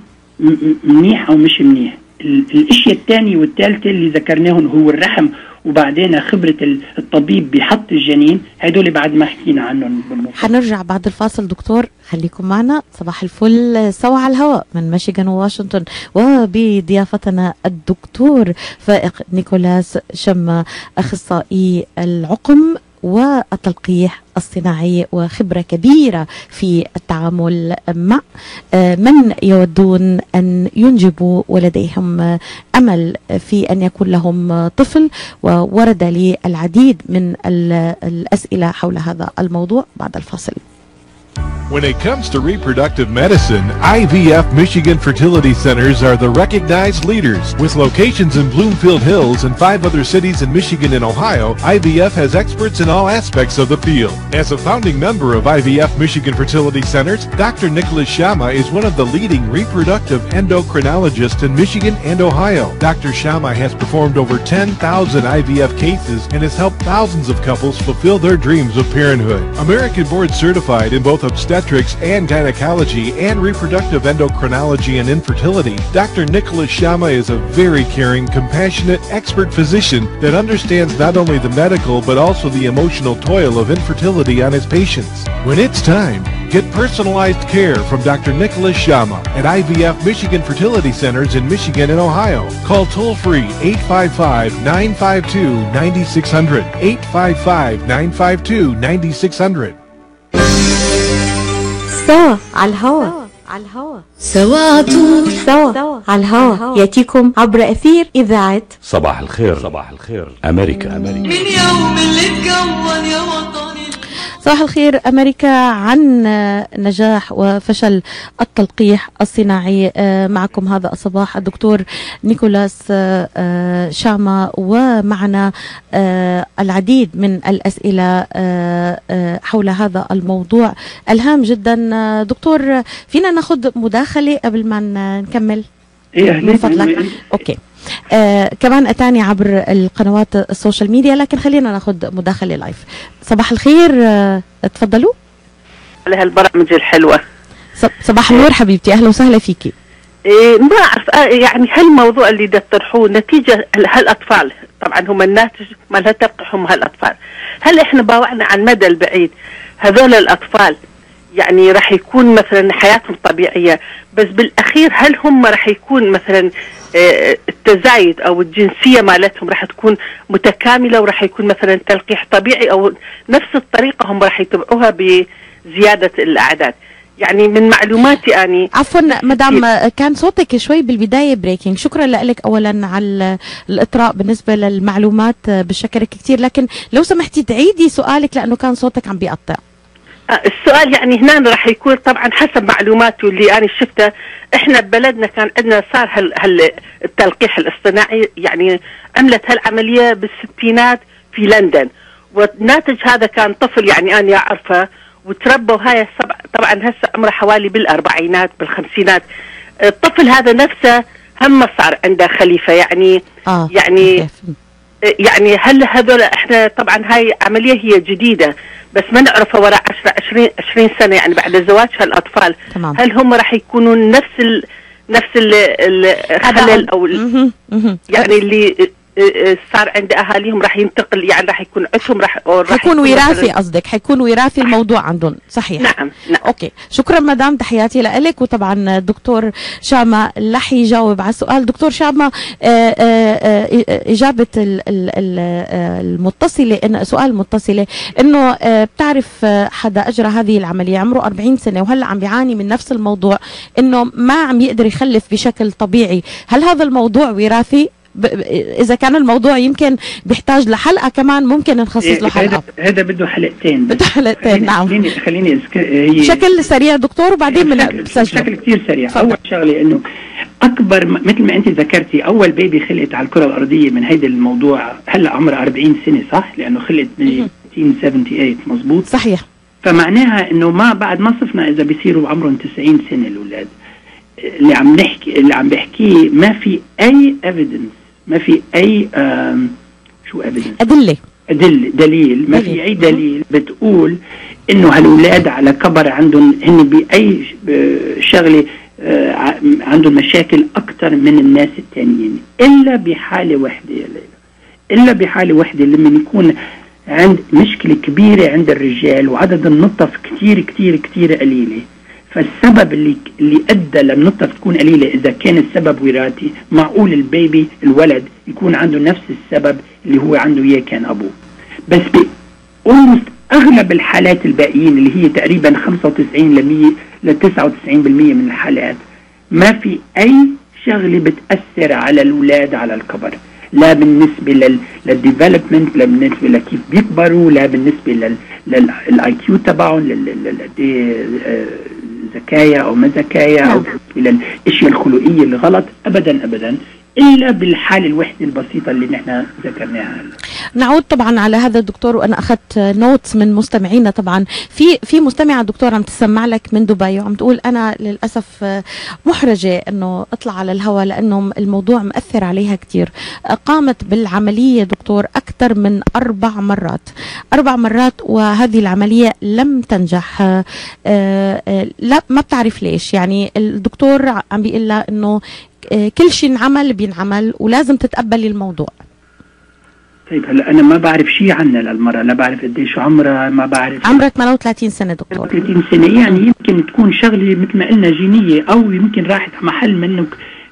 منيح أو مش منيح. الاشياء الثانية والثالثة اللي ذكرناهم هو الرحم، وبعدين خبرة الطبيب بحط الجنين، هدول بعد ما حكينا عنهم بالمفصل. حنرجع بعد الفاصل دكتور، خليكم معنا. صباح الفل سوا على الهواء من ميشيغان وواشنطن، وبضيافتنا الدكتور فائق نيكولاس شما، أخصائي العقم والتلقيح الصناعي، وخبرة كبيرة في التعامل مع من يودون أن ينجبوا ولديهم أمل في أن يكون لهم طفل. وورد لي العديد من الأسئلة حول هذا الموضوع بعد الفاصل. When it comes to reproductive medicine, IVF Michigan Fertility Centers are the recognized leaders. With locations in Bloomfield Hills and 5 other cities in Michigan and Ohio, IVF has experts in all aspects of the field. As a founding member of IVF Michigan Fertility Centers, Dr. Nicholas Shama is one of the leading reproductive endocrinologists in Michigan and Ohio. Dr. Shama has performed over 10,000 IVF cases and has helped thousands of couples fulfill their dreams of parenthood. American board certified in both obstetrics and gynecology and reproductive endocrinology and infertility, Dr. Nicholas Shama is a very caring, compassionate, expert physician that understands not only the medical but also the emotional toil of infertility on his patients. When it's time, get personalized care from Dr. Nicholas Shama at IVF Michigan Fertility Centers in Michigan and Ohio. Call toll-free 855-952-9600, 855-952-9600. سوا على الهواء. سوا عطول سوا على الهواء يأتيكم عبر أثير إذاعة صباح الخير. صباح الخير أمريكا. من يوم اللي اتكون يا وطني. صباح الخير أمريكا، عن نجاح وفشل التلقيح الصناعي. معكم هذا الصباح الدكتور نيكولاس شاما، ومعنا العديد من الأسئلة حول هذا الموضوع الهام جدا. دكتور، فينا ناخذ مداخلة قبل ما نكمل من فضلك؟ أوكي. كمان أتاني عبر القنوات السوشيال ميديا، لكن خلينا ناخذ مداخلة لايف. صباح الخير، تفضلوا على هالبرامج الحلوة. صباح النور حبيبتي، أهلا وسهلا فيكي. ما أعرف يعني هالموضوع اللي تطرحوه نتيجة هالأطفال، طبعا هم الناتج مال هالتلقيح هم هالأطفال. هل إحنا باوعنا على المدى البعيد هذول الأطفال يعني راح يكون مثلا حياتهم طبيعية، بس بالأخير هل هم راح يكون مثلا التزايد أو الجنسية مالتهم راح تكون متكاملة وراح يكون مثلا تلقيح طبيعي، أو نفس الطريقة هم راح يتبعوها بزيادة الأعداد؟ يعني من معلوماتي أني عفوا مدام، كان صوتك شوي بالبداية بريكينج. شكرا لك أولا على الإطراء بالنسبة للمعلومات، بشكرك كتير، لكن لو سمحتي تعيدي سؤالك لأنه كان صوتك عم بيقطع. السؤال يعني هنا راح يكون طبعا حسب معلوماته اللي أنا شفتها، احنا ببلدنا كان عندنا صار التلقيح الاصطناعي، يعني عملت هالعملية بالستينات في لندن، والناتج هذا كان طفل يعني أنا أعرفه وتربوا هاي طبعا هسه عمره حوالي بالأربعينات بالخمسينات. الطفل هذا نفسه هم صار عنده خليفة يعني يعني هل هذول احنا طبعا هاي عملية هي جديدة بس ما نعرفها وراء 20 سنة يعني بعد زواج هالأطفال. تمام. هل هم راح يكونون نفس الخلل أو يعني اللي صار عند أهاليهم راح ينتقل، يعني راح يكون عندهم راح حيكون وراثي، قصدك حيكون وراثي الموضوع عندهم؟ صحيح. نعم. اوكي، شكرا مدام، تحياتي لك. وطبعا الدكتور شاما رح يجاوب على السؤال. دكتور شاما، إجابة المتصلة، إن سؤال المتصلة إنه بتعرف حدا أجرى هذه العملية عمره 40 سنة وهلا عم بيعاني من نفس الموضوع، إنه ما عم يقدر يخلف بشكل طبيعي. هل هذا الموضوع وراثي؟ إذا كان الموضوع يمكن بيحتاج لحلقة كمان، ممكن نخصص له حلقة. هذا بده حلقتين. نعم. خليني بشكل سريع دكتور، وبعدين بشكل كتير سريع. أول شغلة إنه اكبر مثل ما انت ذكرتي، اول بيبي خلقت على الكره الارضيه من هيدا الموضوع هلا عمرها 40 سنه، صح؟ لانه خلقت ب 1978 مزبوط. صحيح. فمعناها انه ما بعد ما صفنا اذا بيصيروا عمرهم 90 سنه الاولاد. اللي عم بحكيه ما في اي ايفيدنس، ما في اي شو ايفيدنس؟ دليل ما في اي دليل بتقول انه هالولاد على كبر عندهم هن باي شغله عندهم مشاكل اكثر من الناس التانيين، الا بحاله وحده يا ليلى، الا بحاله وحده لما يكون عند مشكله كبيره عند الرجال وعدد النطف كثير كثير كثير قليله. فالسبب اللي ادى للنطف تكون قليله اذا كان السبب وراثي، معقول البيبي الولد يكون عنده نفس السبب اللي هو عنده اياه كان ابوه. بس اغلب الحالات الباقيين اللي هي تقريبا 95 ل 99% من الحالات ما في اي شغله بتاثر على الاولاد على الكبر، لا بالنسبه للديفلوبمنت، لا بالنسبه لكيف بيكبروا، لا بالنسبه للاي كيو تبعهم، ذكايا او ما ذكايا، او الى الاشياء الخلقيه اللي غلط، ابدا ابدا، الا بالحاله الوحده البسيطه اللي نحن ذكرناها. نعود طبعا على هذا الدكتور، وانا اخذت نوتس من مستمعينا. طبعا في مستمعه دكتور عم تسمع لك من دبي وعم تقول انا للاسف محرجه انه اطلع على الهواء لانه الموضوع مأثر عليها كثير. قامت بالعمليه دكتور اكثر من 4 مرات وهذه العمليه لم تنجح. لا ما بتعرف ليش. يعني الدكتور عم بيقول لها انه كل شيء بينعمل ولازم تتقبلي الموضوع. طيب هلا انا ما بعرف شيء عنها للمرأة، لا بعرف قديش عمرها، ما بعرف. عمرها 38 سنة دكتور. 30 سنة، يعني يمكن تكون شغلة مثل ما قلنا جينية، او يمكن راحت محل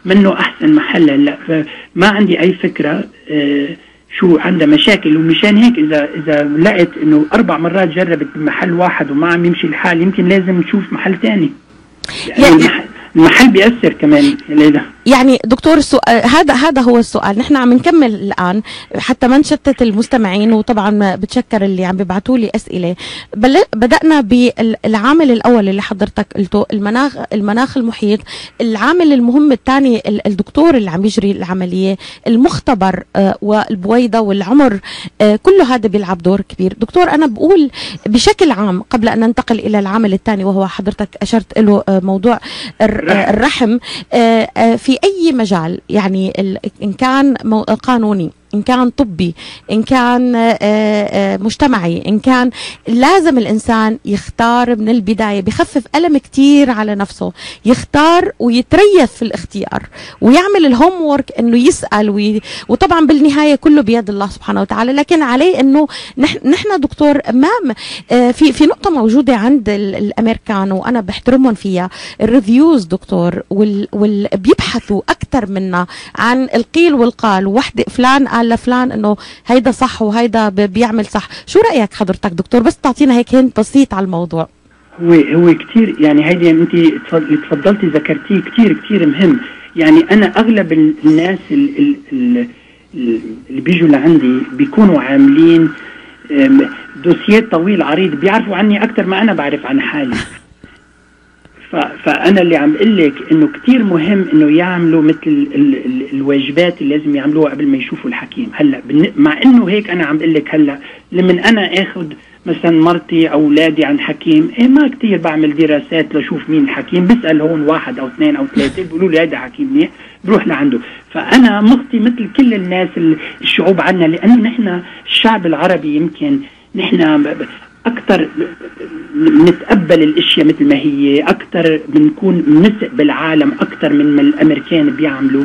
منه احسن محل. هلا فما عندي اي فكرة شو عندها مشاكل، ومشان هيك اذا لقيت انه 4 مرات جربت بمحل واحد وما عم يمشي الحال، يمكن لازم نشوف محل ثاني. يعني المحل بيأثر كمان ليلى. يعني دكتور السؤال هذا هو السؤال. نحن عم نكمل الآن حتى ما نشتت المستمعين، وطبعا بتشكر اللي عم بيبعتوا لي أسئلة. بدأنا بالعامل الأول اللي حضرتك قلته، المناخ المحيط. العامل المهم الثاني الدكتور اللي عم يجري العملية، المختبر والبويضة والعمر، كله هذا بيلعب دور كبير. دكتور أنا بقول بشكل عام قبل أن ننتقل إلى العامل الثاني وهو حضرتك أشرت له موضوع الرحم، في أي مجال، يعني إن كان قانوني، إن كان طبي، إن كان مجتمعي، إن كان لازم الإنسان يختار من البداية، بيخفف ألم كتير على نفسه، يختار ويتريث في الاختيار ويعمل الهوم وورك إنه يسأل وطبعا بالنهاية كله بيد الله سبحانه وتعالى. لكن عليه إنه نحن دكتور أمام في نقطة موجودة عند الأمريكان وأنا بحترمهم فيها، الريفيوز دكتور، بيبحثوا أكتر منا عن القيل والقال، وحدة فلان قال لفلان انه هيدا صح وهيدا بيعمل صح. شو رأيك حضرتك دكتور؟ بس تعطينا هيك هنت بسيط على الموضوع. هو كتير، يعني هيدي انت اللي تفضلتي ذكرتيه كتير مهم. يعني انا اغلب الناس اللي بيجوا لعندي بيكونوا عاملين دوسيات طويل عريض، بيعرفوا عني اكتر ما انا بعرف عن حالي. فأنا اللي عم قل لك إنه كتير مهم إنه يعملوا مثل الواجبات اللي لازم يعملوها قبل ما يشوفوا الحكيم. هلا مع إنه هيك أنا عم قل لك هلا لما أنا آخذ مثلا مرتي أو أولادي عن حكيم، ما كتير بعمل دراسات لشوف مين الحكيم، بسأل هون 1 أو 2 أو 3 بيقولوا لي هذا حكيم منيح، بروح لعنده. فأنا مخطي مثل كل الناس الشعوب عنا، لأنه نحن الشعب العربي يمكن نحن أكتر نتقبل الاشياء مثل ما هي، اكتر بنكون منسق بالعالم اكتر من ما الامريكان بيعملوا.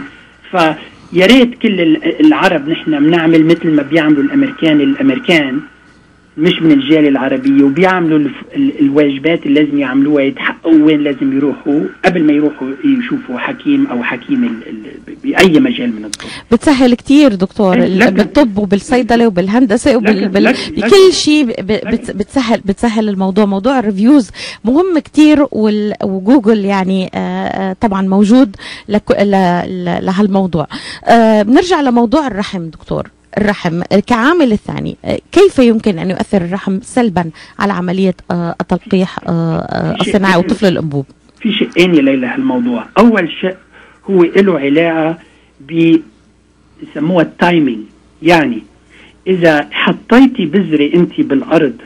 فيا ريت كل العرب نحن بنعمل مثل ما بيعملوا الامريكان مش من الجالية العربية، وبيعملوا الواجبات اللي لازم يعملوها، يتحققوا وين لازم يروحوا قبل ما يروحوا يشوفوا حكيم او حكيم باي مجال من الطب. بتسهل كتير دكتور بالطب وبالصيدله وبالهندسه بكل شيء بتسهل الموضوع. موضوع الريفيوز مهم كتير، وجوجل يعني طبعا موجود لهالموضوع. بنرجع لموضوع الرحم دكتور. الرحم كعامل الثاني، كيف يمكن أن يؤثر الرحم سلبا على عملية التلقيح الصناعي وطفل الأنبوب؟ في شيئين يا ليلى هالموضوع. أول شيء هو له علاقة بيسموها التايمينج. يعني إذا حطيتي بذرة أنت بالأرض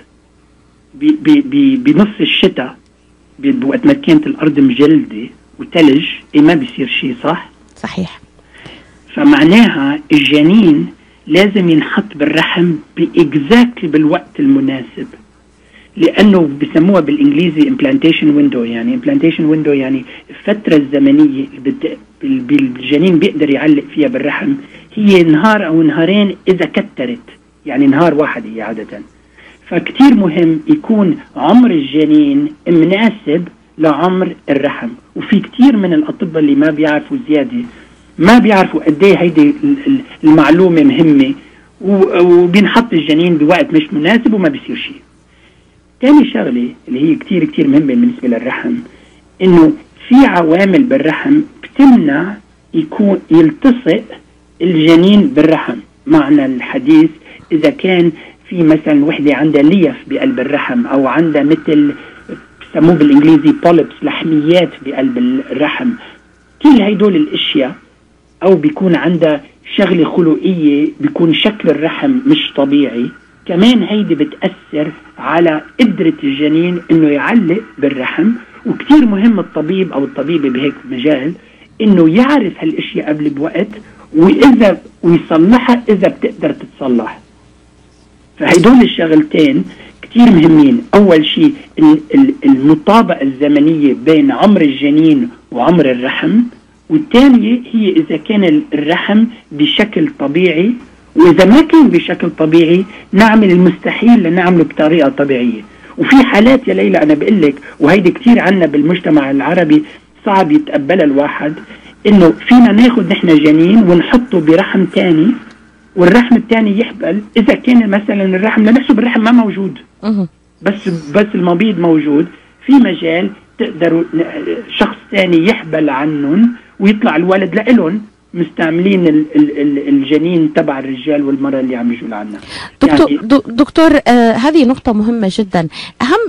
بنص الشتاء بوقت ما كانت الأرض مجلدة وتلج، ما بيصير شيء، صح؟ صحيح. فمعناها الجنين لازم ينحط بالرحم بإكزاكتلي بالوقت المناسب، لأنه بسموها بالإنجليزي implantation window. يعني implantation window يعني الفترة الزمنية الجنين بيقدر يعلق فيها بالرحم هي نهار أو نهارين إذا كترت، يعني نهار واحد هي عادة. فكتير مهم يكون عمر الجنين مناسب لعمر الرحم. وفي كتير من الأطباء اللي ما بيعرفوا زيادة، ما بيعرفوا قد ايه هيدي المعلومة مهمة، وبينحط الجنين بوقت مش مناسب وما بيصير شيء. تاني شغلة اللي هي كتير كتير مهمة بالنسبة للرحم، انه في عوامل بالرحم بتمنع يكون يلتصق الجنين بالرحم. معنى الحديث إذا كان في مثلا وحدة عندها ليف بقلب الرحم، أو عندها مثل بسموه بالإنجليزي بوليبس، لحميات بقلب الرحم، كل هيدول الأشياء، أو بيكون عندها شغلة خلقية بيكون شكل الرحم مش طبيعي، كمان هيدي بتأثر على قدرة الجنين إنه يعلق بالرحم. وكتير مهم الطبيب أو الطبيبة بهيك مجال إنه يعرف هالأشياء قبل بوقت، ويصلحها إذا بتقدر تتصلح. فهيدول الشغلتين كتير مهمين. أول شيء المطابقة الزمنية بين عمر الجنين وعمر الرحم، والثانية هي إذا كان الرحم بشكل طبيعي، وإذا ما كان بشكل طبيعي نعمل المستحيل لنعمله بطريقة طبيعية. وفي حالات يا ليلى أنا بقلك، وهيدي كتير عنا بالمجتمع العربي صعب يتقبلها الواحد، إنه فينا ناخد نحن جنين ونحطه برحم تاني، والرحم الثاني يحبل. إذا كان مثلا الرحم لنحسب الرحم ما موجود، بس المبيض موجود، في مجال تقدروا شخص ثاني يحبل عنهم ويطلع الولد لإلهم، مستعملين الجنين تبع الرجال والمرأة اللي عم يجوا لعنا. دكتور هذه نقطة مهمة جدا.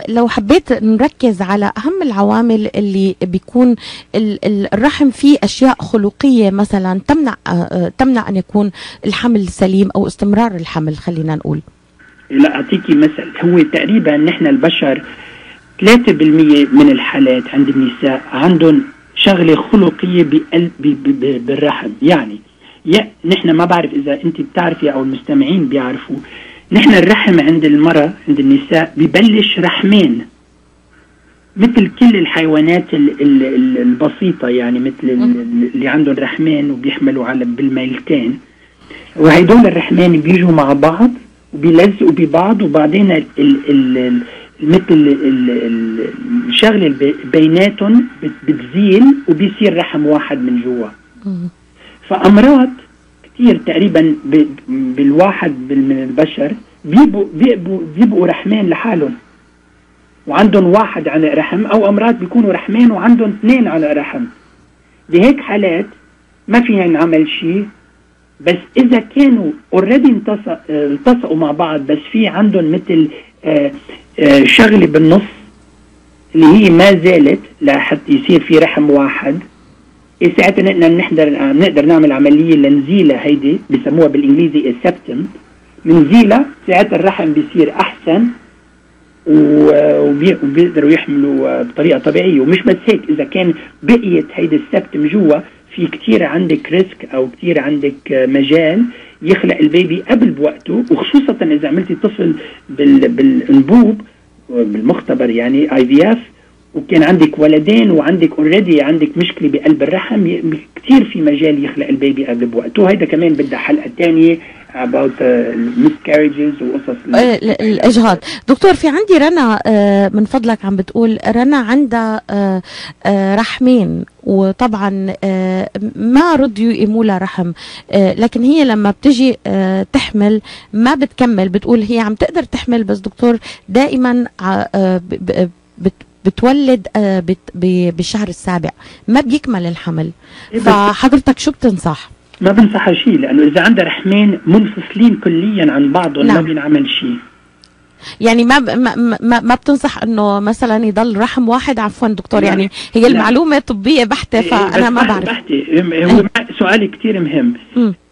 لو حبيت نركز على أهم العوامل اللي بيكون الرحم فيه أشياء خلقية مثلا تمنع أن يكون الحمل سليم أو استمرار الحمل، خلينا نقول. لا أعطيكي مثل. هو تقريبا نحن البشر 3% من الحالات عند النساء عندهم شغلة خلقية بالرحم. يعني نحن ما بعرف إذا أنت بتعرفي أو المستمعين بيعرفوا، نحن الرحم عند المرأة عند النساء ببلش رحمين مثل كل الحيوانات البسيطة، يعني مثل اللي عندهم رحمين وبيحملوا على بالميلتين، وهيدول الرحمين بيجوا مع بعض وبيلزقوا ببعض، وبعدين مثل الشغله بيناتهم بتزيل وبيصير رحم واحد من جوا. فأمراض كتير تقريبا بالواحد من البشر بيبقوا رحمين لحالهم وعندهم واحد على رحم، او امراض بيكونوا رحمين وعندهم 2 على رحم. بهيك حالات ما فينا نعمل شيء، بس اذا كانوا اوريدي التصقوا مع بعض، بس في عندهم مثل شغله بالنص اللي هي ما زالت لحتى يصير في رحم واحد، ساعتها نقدر نعمل عمليه لنزيلها، هيدي بسموها بالانجليزي السبتم، منزيلها ساعتها الرحم بيصير احسن وبيقدروا يحملوا بطريقه طبيعيه. ومش بس هيك، اذا كان بقيت هيدي السبتم جوا، في كتير عندك ريسك او كتير عندك مجال يخلق البيبي قبل بوقته، وخصوصا اذا عملتي طفل بالانبوب بالمختبر يعني IVF، وكان عندك ولدين وعندك اوريدي عندك مشكله بقلب الرحم، كثير في مجال يخلق البيبي قبل بوقته. وهيدا كمان بدها حلقه ثانيه about miscarriages وقصص الاجهاض. دكتور، في عندي رنا من فضلك عم بتقول، رنا عندها رحمين، وطبعا ما رضيوا يقيموا لها رحم، لكن هي لما بتجي تحمل ما بتكمل، بتقول هي عم تقدر تحمل، بس دكتور دائما بتولد بالشهر السابع ما بيكمل الحمل. فحضرتك شو بتنصح؟ ما بنصح شيء، لانه اذا عندها رحمين منفصلين كليا عن بعضهم ما بينعمل شيء. يعني ما بتنصح انه مثلا يضل رحم واحد؟ عفوا دكتور، يعني هي لا. المعلومة طبية بحتة، فانا ما بعرف. هو سؤالي كتير مهم.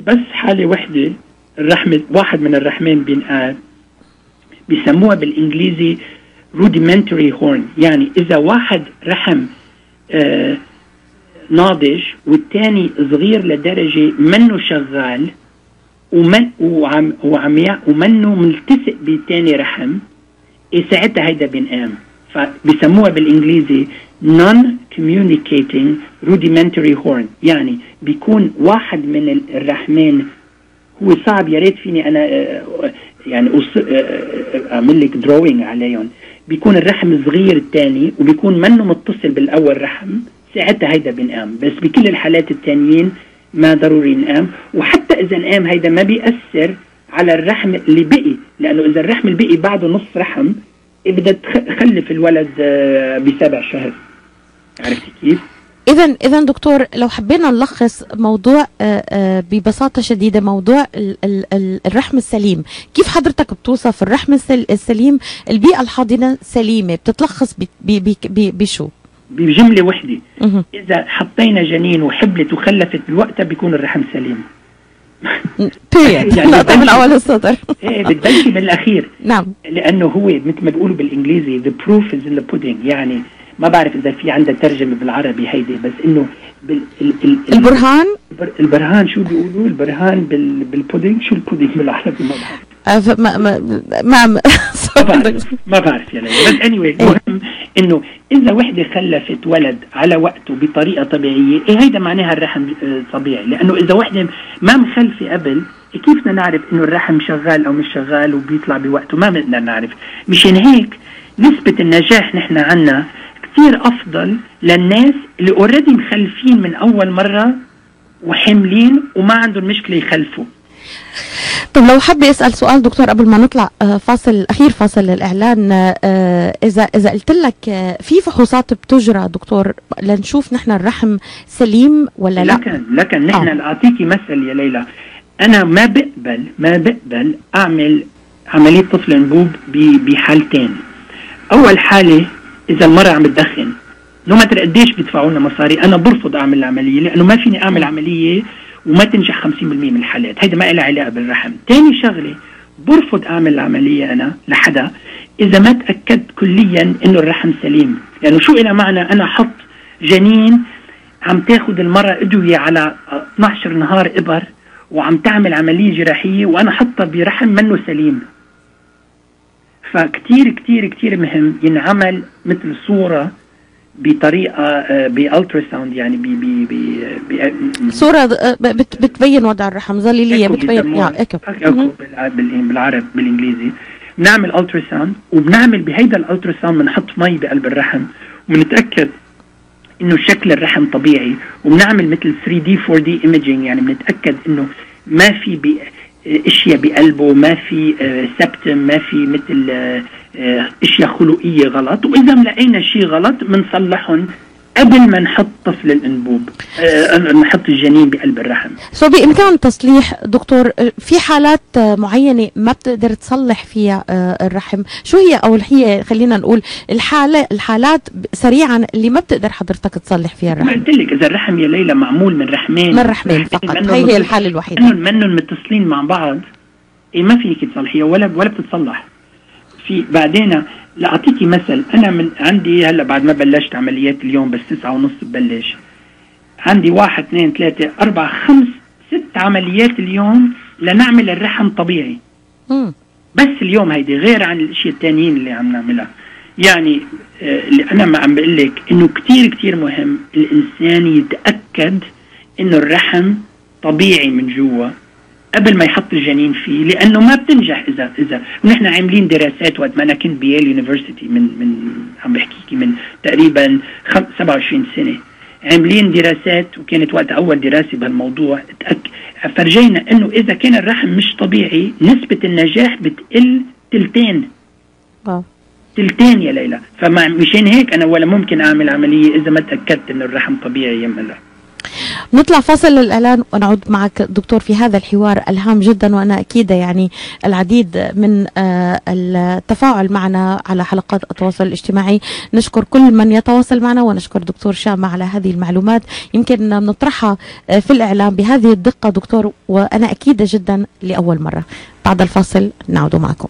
بس حالة وحدة الرحم واحد من الرحمين بينقال، بيسموها بالانجليزي rudimentary horn. يعني اذا واحد رحم ناضج والتاني صغير لدرجة منه شغال ومنه ملتصق بالتاني رحم، ساعتها هيدا بينقام. فبيسموها بالانجليزي non-communicating rudimentary horn. يعني بيكون واحد من الرحمين هو صعب، يا ريت فيني انا يعني اعمل لك دروينج عليهم. بيكون الرحم صغير الثاني وبيكون منه متصل بالاول رحم، ساعتها هيدا بينقام. بس بكل الحالات الثانيين ما ضروري ينقام. وحتى اذا نقام هيدا ما بيأثر على الرحم اللي بقي، لانه اذا الرحم اللي بقي بعده نص رحم بدها تخلف الولد ب7 شهر. عرفتي كيف؟ إذا دكتور، لو حبينا نلخص موضوع ببساطة شديدة، موضوع الرحم السليم، كيف حضرتك بتوصف الرحم السليم؟ البيئة الحاضنة سليمة بتتلخص بشو؟ بجملة وحدة. إذا حطينا جنين وحبلت وخلفت بوقتها بيكون الرحم سليم. يعني من أول السطر. إيه، بتبلشي من الأخير. نعم. لأنه هو مثل ما بيقولوا بالإنجليزي the proof is in the pudding. يعني ما بعرف إذا في عندها ترجمة بالعربي هيدي، بس إنه البرهان شو بيقولوا؟ البرهان بالبودينج. شو البودينج بالعربي؟ ما بعرف. ما بعرف يا ليلى. بس anyway مهم إنه إذا وحدة خلفت ولد على وقته بطريقة طبيعية، هيدا معناها الرحم طبيعي. لأنه إذا وحدة ما مخلفة قبل، كيف بدنا نعرف إنه الرحم شغال أو مش شغال وبيطلع بوقته؟ ما بدنا نعرف. مشان هيك نسبة النجاح نحن عنا كتير أفضل للناس اللي اوريدي مخلفين من أول مرة وحملين وما عندهم مشكلة يخلفوا. طب لو حابة أسأل سؤال دكتور قبل ما نطلع فاصل الإعلان، إذا قلت لك في فحوصات بتجرى دكتور لنشوف نحن الرحم سليم ولا لا؟ لكن نحن أعطيكي مثل يا ليلى. أنا ما بقبل أعمل عملية طفل أنبوب بحالتين. أول حالة إذا المرأة عم تدخن، لو ما ترى قديش بيدفعوا لنا مصاري، أنا برفض أعمل العملية، لأنه ما فيني أعمل عملية وما تنجح 50% من الحالات. هيدا ما إلها علاقة بالرحم. تاني شغلة، برفض أعمل العملية أنا لحدا إذا ما تأكد كليا إنه الرحم سليم. لأنه شو إلها معنى أنا حط جنين عم تاخد المرأة أدوية على 12 نهار إبر وعم تعمل عملية جراحية وأنا حطها برحم منه سليم. فكتير كتير كتير مهم ينعمل مثل صورة بطريقة بالتراساوند، يعني صورة بتبين وضع الرحم، ظليلية بتبين ايكو بالعرب بالانجليزي. بنعمل التراساوند وبنعمل بهيدا الالتراساوند بنحط مي بقلب الرحم وبنتأكد انه شكل الرحم طبيعي، وبنعمل مثل 3D 4D imaging، يعني بنتأكد انه ما في اشياء بقلبه، ما في سبتم، ما في مثل اشياء خلقيه غلط. واذا لقينا شيء غلط بنصلحهم قبل ما نحط طفل الانبوب، نحط الجنين بقلب الرحم. بإمكان تصليح دكتور في حالات معينة ما بتقدر تصلح فيها الرحم، شو هي؟ أو هي خلينا نقول الحالات سريعا اللي ما بتقدر حضرتك تصلح فيها الرحم. قلت لك إذا الرحم يا ليلى معمول من رحمين فقط، هي الحالة الوحيدة. منهم متصلين مع بعض، ما فيك تصلحيها ولا بتتصلح. في بعدين لأعطيكي مثل، أنا من عندي هلا بعد ما بلشت عمليات اليوم، بس 9:30 ببلش، عندي 1 2 3 4 5 6 عمليات اليوم لنعمل الرحم طبيعي. بس اليوم هيدي غير عن الاشياء التانيين اللي عم نعملها. يعني اللي أنا ما عم بقول لك إنه كتير كتير مهم الإنسان يتأكد إنه الرحم طبيعي من جوا قبل ما يحط الجنين فيه، لأنه ما بتنجح إذا ونحن عاملين دراسات وقت ما أنا كنت بيال يونيفرسيتي من عم بحكيكي من تقريبا 27 سنة، عاملين دراسات وكانت وقت أول دراسة بهالموضوع فرجينا إنه إذا كان الرحم مش طبيعي نسبة النجاح بتقل تلتين يا ليلى. فمشان هيك أنا ولا ممكن أعمل عملية إذا ما تأكدت إنه الرحم طبيعي يملا. نطلع فاصل للإعلان ونعود معك دكتور في هذا الحوار الهام جدا، وأنا أكيد يعني العديد من التفاعل معنا على حلقات التواصل الاجتماعي. نشكر كل من يتواصل معنا ونشكر دكتور شامة على هذه المعلومات يمكن نطرحها في الإعلام بهذه الدقة دكتور، وأنا أكيدة جدا لأول مرة. بعد الفاصل نعود معكم.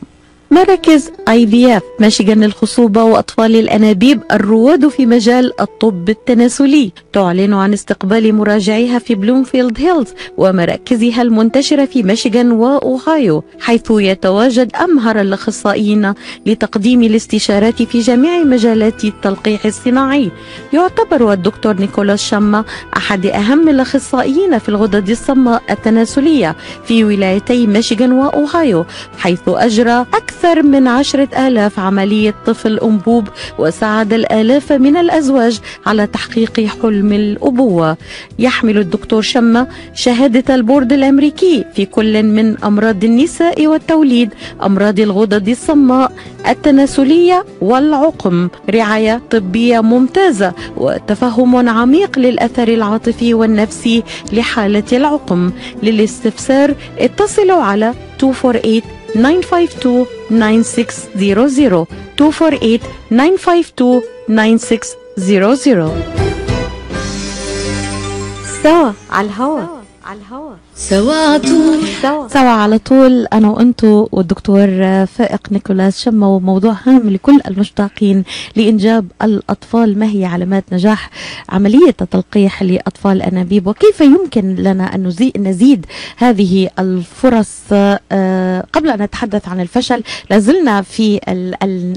مراكز IVF ميشيغان للخصوبة وأطفال الأنابيب الرواد في مجال الطب التناسلي تعلن عن استقبال مراجعيها في بلومفيلد هيلز ومراكزها المنتشرة في ميشيغان وأوهايو، حيث يتواجد أمهر الأخصائيين لتقديم الاستشارات في جميع مجالات التلقيح الصناعي. يعتبر الدكتور نيكولاس شامة أحد أهم الأخصائيين في الغدد الصماء التناسلية في ولايتي ميشيغان وأوهايو، حيث أجرى أكثر من 10,000 عملية طفل أنبوب وساعد الآلاف من الأزواج على تحقيق حلم الأبوة. يحمل الدكتور شامة شهادة البورد الأمريكي في كل من أمراض النساء والتوليد، أمراض الغدد الصماء التناسلية والعقم، رعاية طبية ممتازة وتفهم عميق للأثر العاطفي والنفسي لحالة العقم. للاستفسار اتصلوا على 248-952-9600 248-952-9600. سوا على الهوا. سوا على طول أنا وأنتو والدكتور فائق نيكولاس شامة، وموضوع هام لكل المشتاقين لإنجاب الأطفال. ما هي علامات نجاح عملية التلقيح لأطفال الأنابيب، وكيف يمكن لنا أن نزيد هذه الفرص؟ قبل أن نتحدث عن الفشل لازلنا في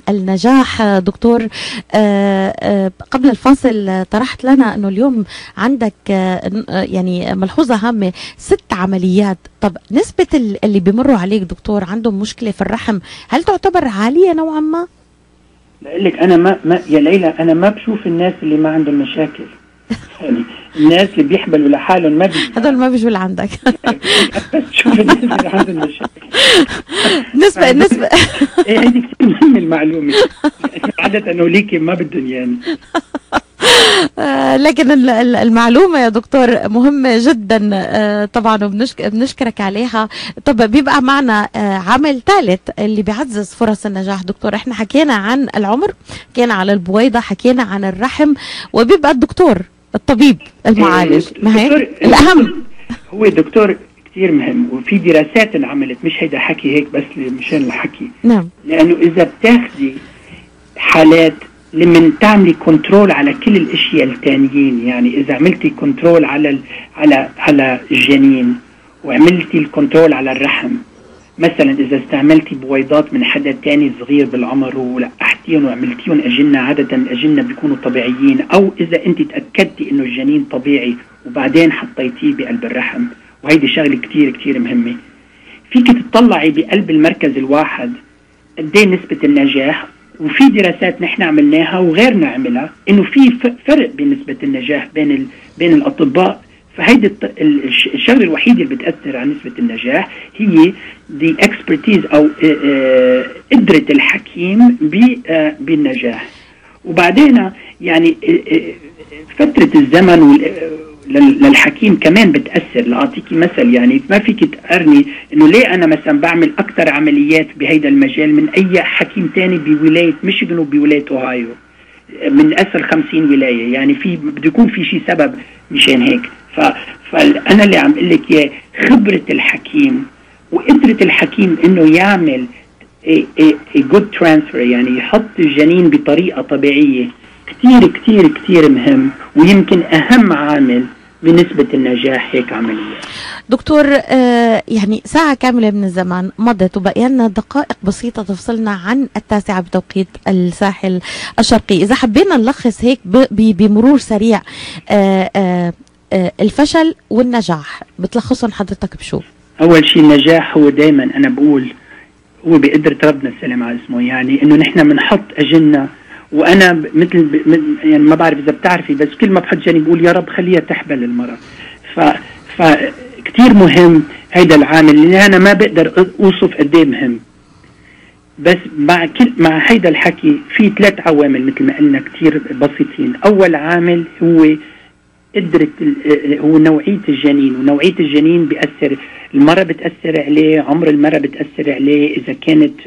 النجاح. دكتور قبل الفاصل طرحت لنا أنه اليوم عندك يعني ملحوظة هامة، 6 عمليات. طب نسبة اللي بيمروا عليك دكتور عندهم مشكلة في الرحم هل تعتبر عالية نوعا ما؟ بقول لك انا ما يا ليلى انا ما بشوف الناس اللي ما عندهم مشاكل. يعني الناس اللي بيحبلوا لحالهم ما هذول ما بيجوا لعندك. بس شوف الناس اللي عندهم مشاكل. نسبة ايه هذه كثير مهمة المعلومة. عادة انه ليكي ما بدهم يعني. لكن المعلومة يا دكتور مهمة جدا طبعا، وبنشكرك عليها. طب بيبقى معنا عامل ثالث اللي بيعزز فرص النجاح. دكتور احنا حكينا عن العمر، حكينا على البويضة، حكينا عن الرحم، وبيبقى الدكتور الطبيب المعالج ما هيك الأهم. هو دكتور كثير مهم، وفي دراسات انعملت، مش هيدا حكي هيك بس مشان الحكي. نعم. لأنه إذا بتاخدي حالات لمن تعملي كنترول على كل الاشياء التانيين، يعني اذا عملتي كنترول على الجنين وعملتي الكنترول على الرحم، مثلا اذا استعملتي بويضات من حدا تاني صغير بالعمر ولقحتيهم وعملتيهم اجنة، عادة الاجنة بيكونوا طبيعيين، او اذا انت تأكدتي انه الجنين طبيعي وبعدين حطيتيه بقلب الرحم، وهيدي شغلة كتير كتير مهمة. فيك تطلعي بقلب المركز الواحد قديه نسبة النجاح، وفي دراسات نحن عملناها وغيرنا عملها انه في فرق بنسبة النجاح بين الاطباء. فهيدي الشغله الوحيده اللي بتاثر على نسبه النجاح هي the expertise او قدره الحكيم بالنجاح. وبعدين يعني فتره الزمن للحكيم كمان بتاثر. لاعطيكي مثل، يعني ما فيك تقارني انه ليه انا مثلا بعمل اكثر عمليات بهيدا المجال من اي حكيم تاني بولايه ميشيغان وبولايه اوهايو من اصل 50 ولايه، يعني في بده يكون في شيء سبب مشان هيك. فانا اللي عم اقول لك اياه خبره الحكيم وقدره الحكيم انه يعمل good transfer، يعني يحط الجنين بطريقه طبيعيه، كتير كتير كتير مهم، ويمكن اهم عامل بنسبة النجاح هيك عملية. دكتور يعني ساعة كاملة من الزمان مضت وبقي لنا دقائق بسيطة تفصلنا عن 9 بتوقيت الساحل الشرقي. إذا حبينا نلخص هيك بمرور سريع الفشل والنجاح بتلخصهم حضرتك بشو؟ أول شيء النجاح هو دايما أنا بقول هو بقدرة ربنا السلام على اسمه، يعني إنه نحن بنحط أجلنا. وانا مثل يعني ما بعرف اذا بتعرفي، بس كل ما بحط جاني بقول يا رب خليها تحبل المرأة. فكتير مهم هيدا العامل اللي انا ما بقدر اوصف قد ايه مهم. بس مع هيدا الحكي في 3 عوامل مثل ما قلنا كتير بسيطين. اول عامل هو قدرة هو نوعية الجنين، ونوعية الجنين بيأثر، المرة بتأثر عليه، عمر المرة بتأثر عليه، إذا كانت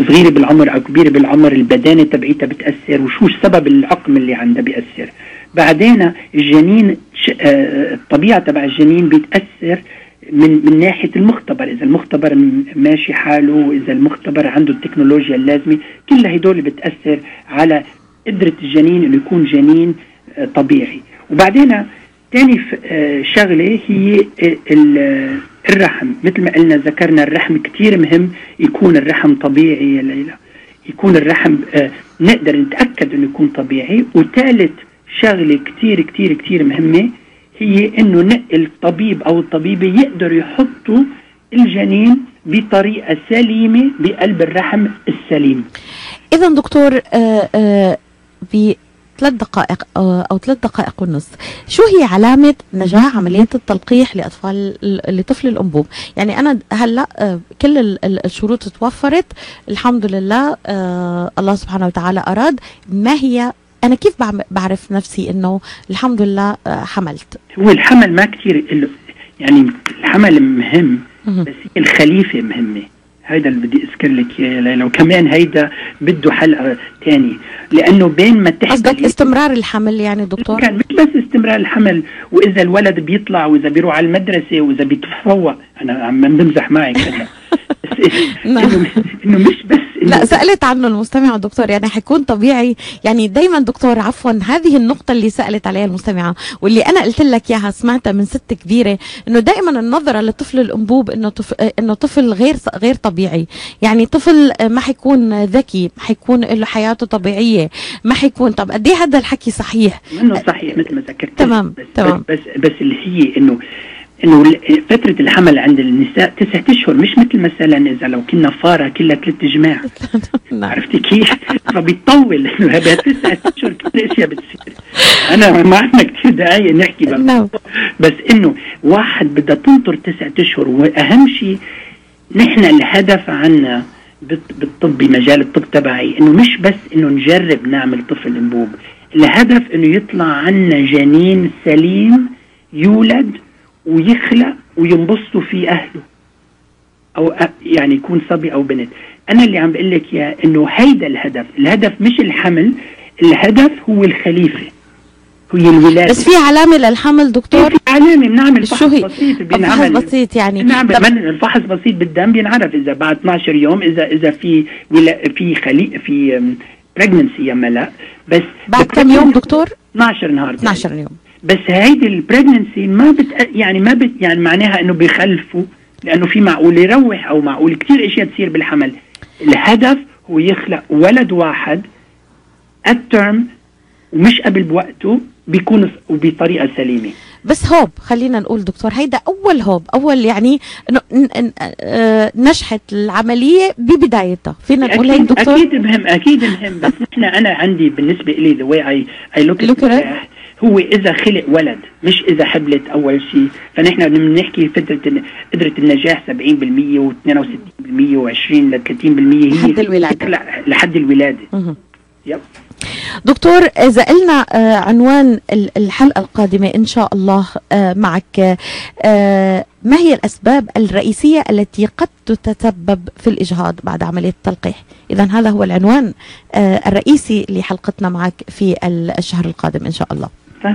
صغيرة بالعمر أو كبيرة بالعمر البدانة تبعيتها بتأثر، وشو سبب العقم اللي عندها بيأثر. بعدين الجنين الطبيعة تبع الجنين بيتأثر من ناحية المختبر، إذا المختبر ماشي حاله، إذا المختبر عنده التكنولوجيا اللازمة، كل هدول بتأثر على قدرة الجنين إنه يكون جنين طبيعي. وبعدين تاني شغلة هي الرحم، مثل ما قلنا ذكرنا الرحم كتير مهم يكون الرحم طبيعي يا ليلى، يكون الرحم نقدر نتأكد إنه يكون طبيعي. وثالث شغلة كتير كتير كتير مهمة هي إنه الطبيب أو الطبيبة يقدروا يحطوا الجنين بطريقة سليمة بقلب الرحم السليم. إذا دكتور ب3 دقائق أو 3 دقائق ونص، شو هي علامة نجاح عملية التلقيح لطفل الأنبوب؟ يعني أنا هلأ كل الشروط توفرت الحمد لله، الله سبحانه وتعالى أراد. ما هي أنا كيف بعرف نفسي إنه الحمد لله حملت؟ هو الحمل ما كتير، يعني الحمل مهم بس الخليفة مهمة. هيدا اللي بدي أذكر لك يا ليلى، وكمان هيدا بده حلقة تاني، لأنه بين ما تحمل قصدك استمرار الحمل يعني دكتور؟ كان مش بس استمرار الحمل، وإذا الولد بيطلع وإذا بيروح على المدرسة وإذا بيتفوق. أنا عم بمزح معك هلا إنه مش بس لا، سألت عنه المستمعة دكتور، يعني حيكون طبيعي. يعني دايما دكتور عفوا، هذه النقطة اللي سألت عليها المستمعة واللي أنا قلت لك إياها سمعتها من ست كبيرة، إنه دائما النظرة لطفل الأنبوب إنه طفل غير طبيعي، يعني طفل ما حيكون ذكي، ما حيكون له حياته طبيعية، ما حيكون. طب قد إيه هذا الحكي صحيح؟ إنه صحيح مثل ما ذكرت. تمام تمام. بس اللي هي إنه فترة الحمل عند النساء 9 أشهر، مش مثل مثلا إذا لو كنا فارة كلها 3 جماع. عرفتي كيف؟ فبيطول إنه هذا 9 أشهر كل أشياء بتصير. أنا ما عندنا كتير دقايق نحكي بس إنه واحد بدها تنطر 9 أشهر. وأهم شيء نحن الهدف عنا بالطب، بمجال الطب تبعي، إنه مش بس إنه نجرب نعمل طفل أنبوب، الهدف إنه يطلع عنا جنين سليم يولد ويخلق وينبسطوا في أهله، أو يعني يكون صبي أو بنت. أنا اللي عم بقول لك يا إنه هيدا الهدف مش الحمل، الهدف هو الخليفة، هي الولادة. بس في علامة للحمل دكتور؟ في علامة، بنعمل فحص بسيط، فحص بسيط يعني نعمل الفحص بسيط بالدم، بينعرف إذا بعد 12 يوم إذا في في pregnancy يا لا. بس بعد كم يوم دكتور؟ 12 نهار. 12 يوم. بس هيدي البريجننسي ما يعني معناها انه بيخلفوا، لانه في معقول يروح او معقول كتير اشياء تصير بالحمل. الهدف هو يخلق ولد واحد الترم ومش قبل بوقته، بيكون وبطريقه سليمه. بس هوب، خلينا نقول دكتور هيدا اول يعني انه نجحت العمليه ببدايتها، فينا نقول هيك دكتور؟ اكيد مهم بس انا عندي بالنسبه لي the way I look at it هو إذا خلق ولد، مش إذا حبلت أول شيء. فنحن بنحكي قدرة النجاح 70% و62% و20 ل 30% هي لحد الولادة. لحد الولادة. يب. دكتور، إذا قلنا عنوان الحلقة القادمة إن شاء الله معك، ما هي الأسباب الرئيسية التي قد تتسبب في الإجهاض بعد عملية التلقيح؟ إذن هذا هو العنوان الرئيسي لحلقتنا معك في الشهر القادم إن شاء الله.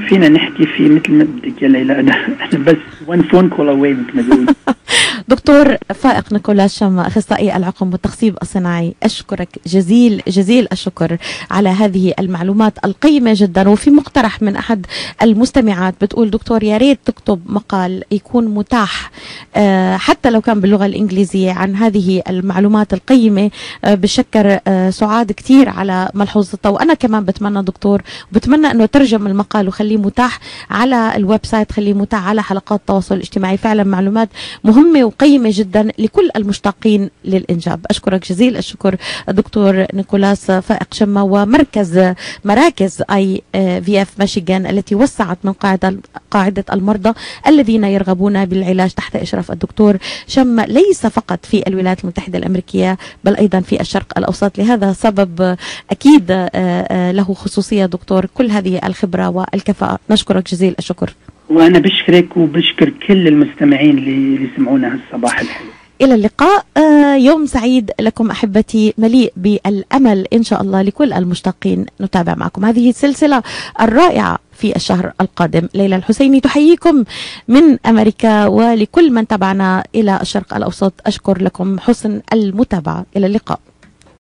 فينا نحكي فيه مثل ما بدك يا ليلى، أنا بس one phone call away مثل ما بيقولوا. دكتور فائق نيكولاس شما، أخصائي العقم والتخصيب الصناعي، أشكرك جزيل الشكر على هذه المعلومات القيمة جدا. وفي مقترح من أحد المستمعات بتقول دكتور يا ريت تكتب مقال يكون متاح حتى لو كان باللغة الإنجليزية عن هذه المعلومات القيمة. بشكر سعاد كتير على ملحوظتها، وأنا كمان بتمنى دكتور، بتمنى أنه ترجم المقال وخليه متاح على الويب سايت، خليه متاح على حلقات التواصل الاجتماعي. فعلا معلومات مهمة قيمة جدا لكل المشتاقين للإنجاب. أشكرك جزيل الشكر الدكتور نيكولاس فائق شمة، ومراكز IVF ميشيغان التي وسعت من قاعدة المرضى الذين يرغبون بالعلاج تحت إشراف الدكتور شمة، ليس فقط في الولايات المتحدة الأمريكية بل أيضا في الشرق الأوسط. لهذا سبب أكيد له خصوصية دكتور كل هذه الخبرة والكفاءة. نشكرك جزيل الشكر. وأنا بشكرك وبشكر كل المستمعين اللي سمعونا هالصباح الحلو. إلى اللقاء. يوم سعيد لكم أحبتي، مليء بالأمل إن شاء الله لكل المشتاقين. نتابع معكم هذه السلسلة الرائعة في الشهر القادم. ليلى الحسيني تحييكم من أمريكا، ولكل من تابعنا إلى الشرق الأوسط أشكر لكم حسن المتابعة. إلى اللقاء.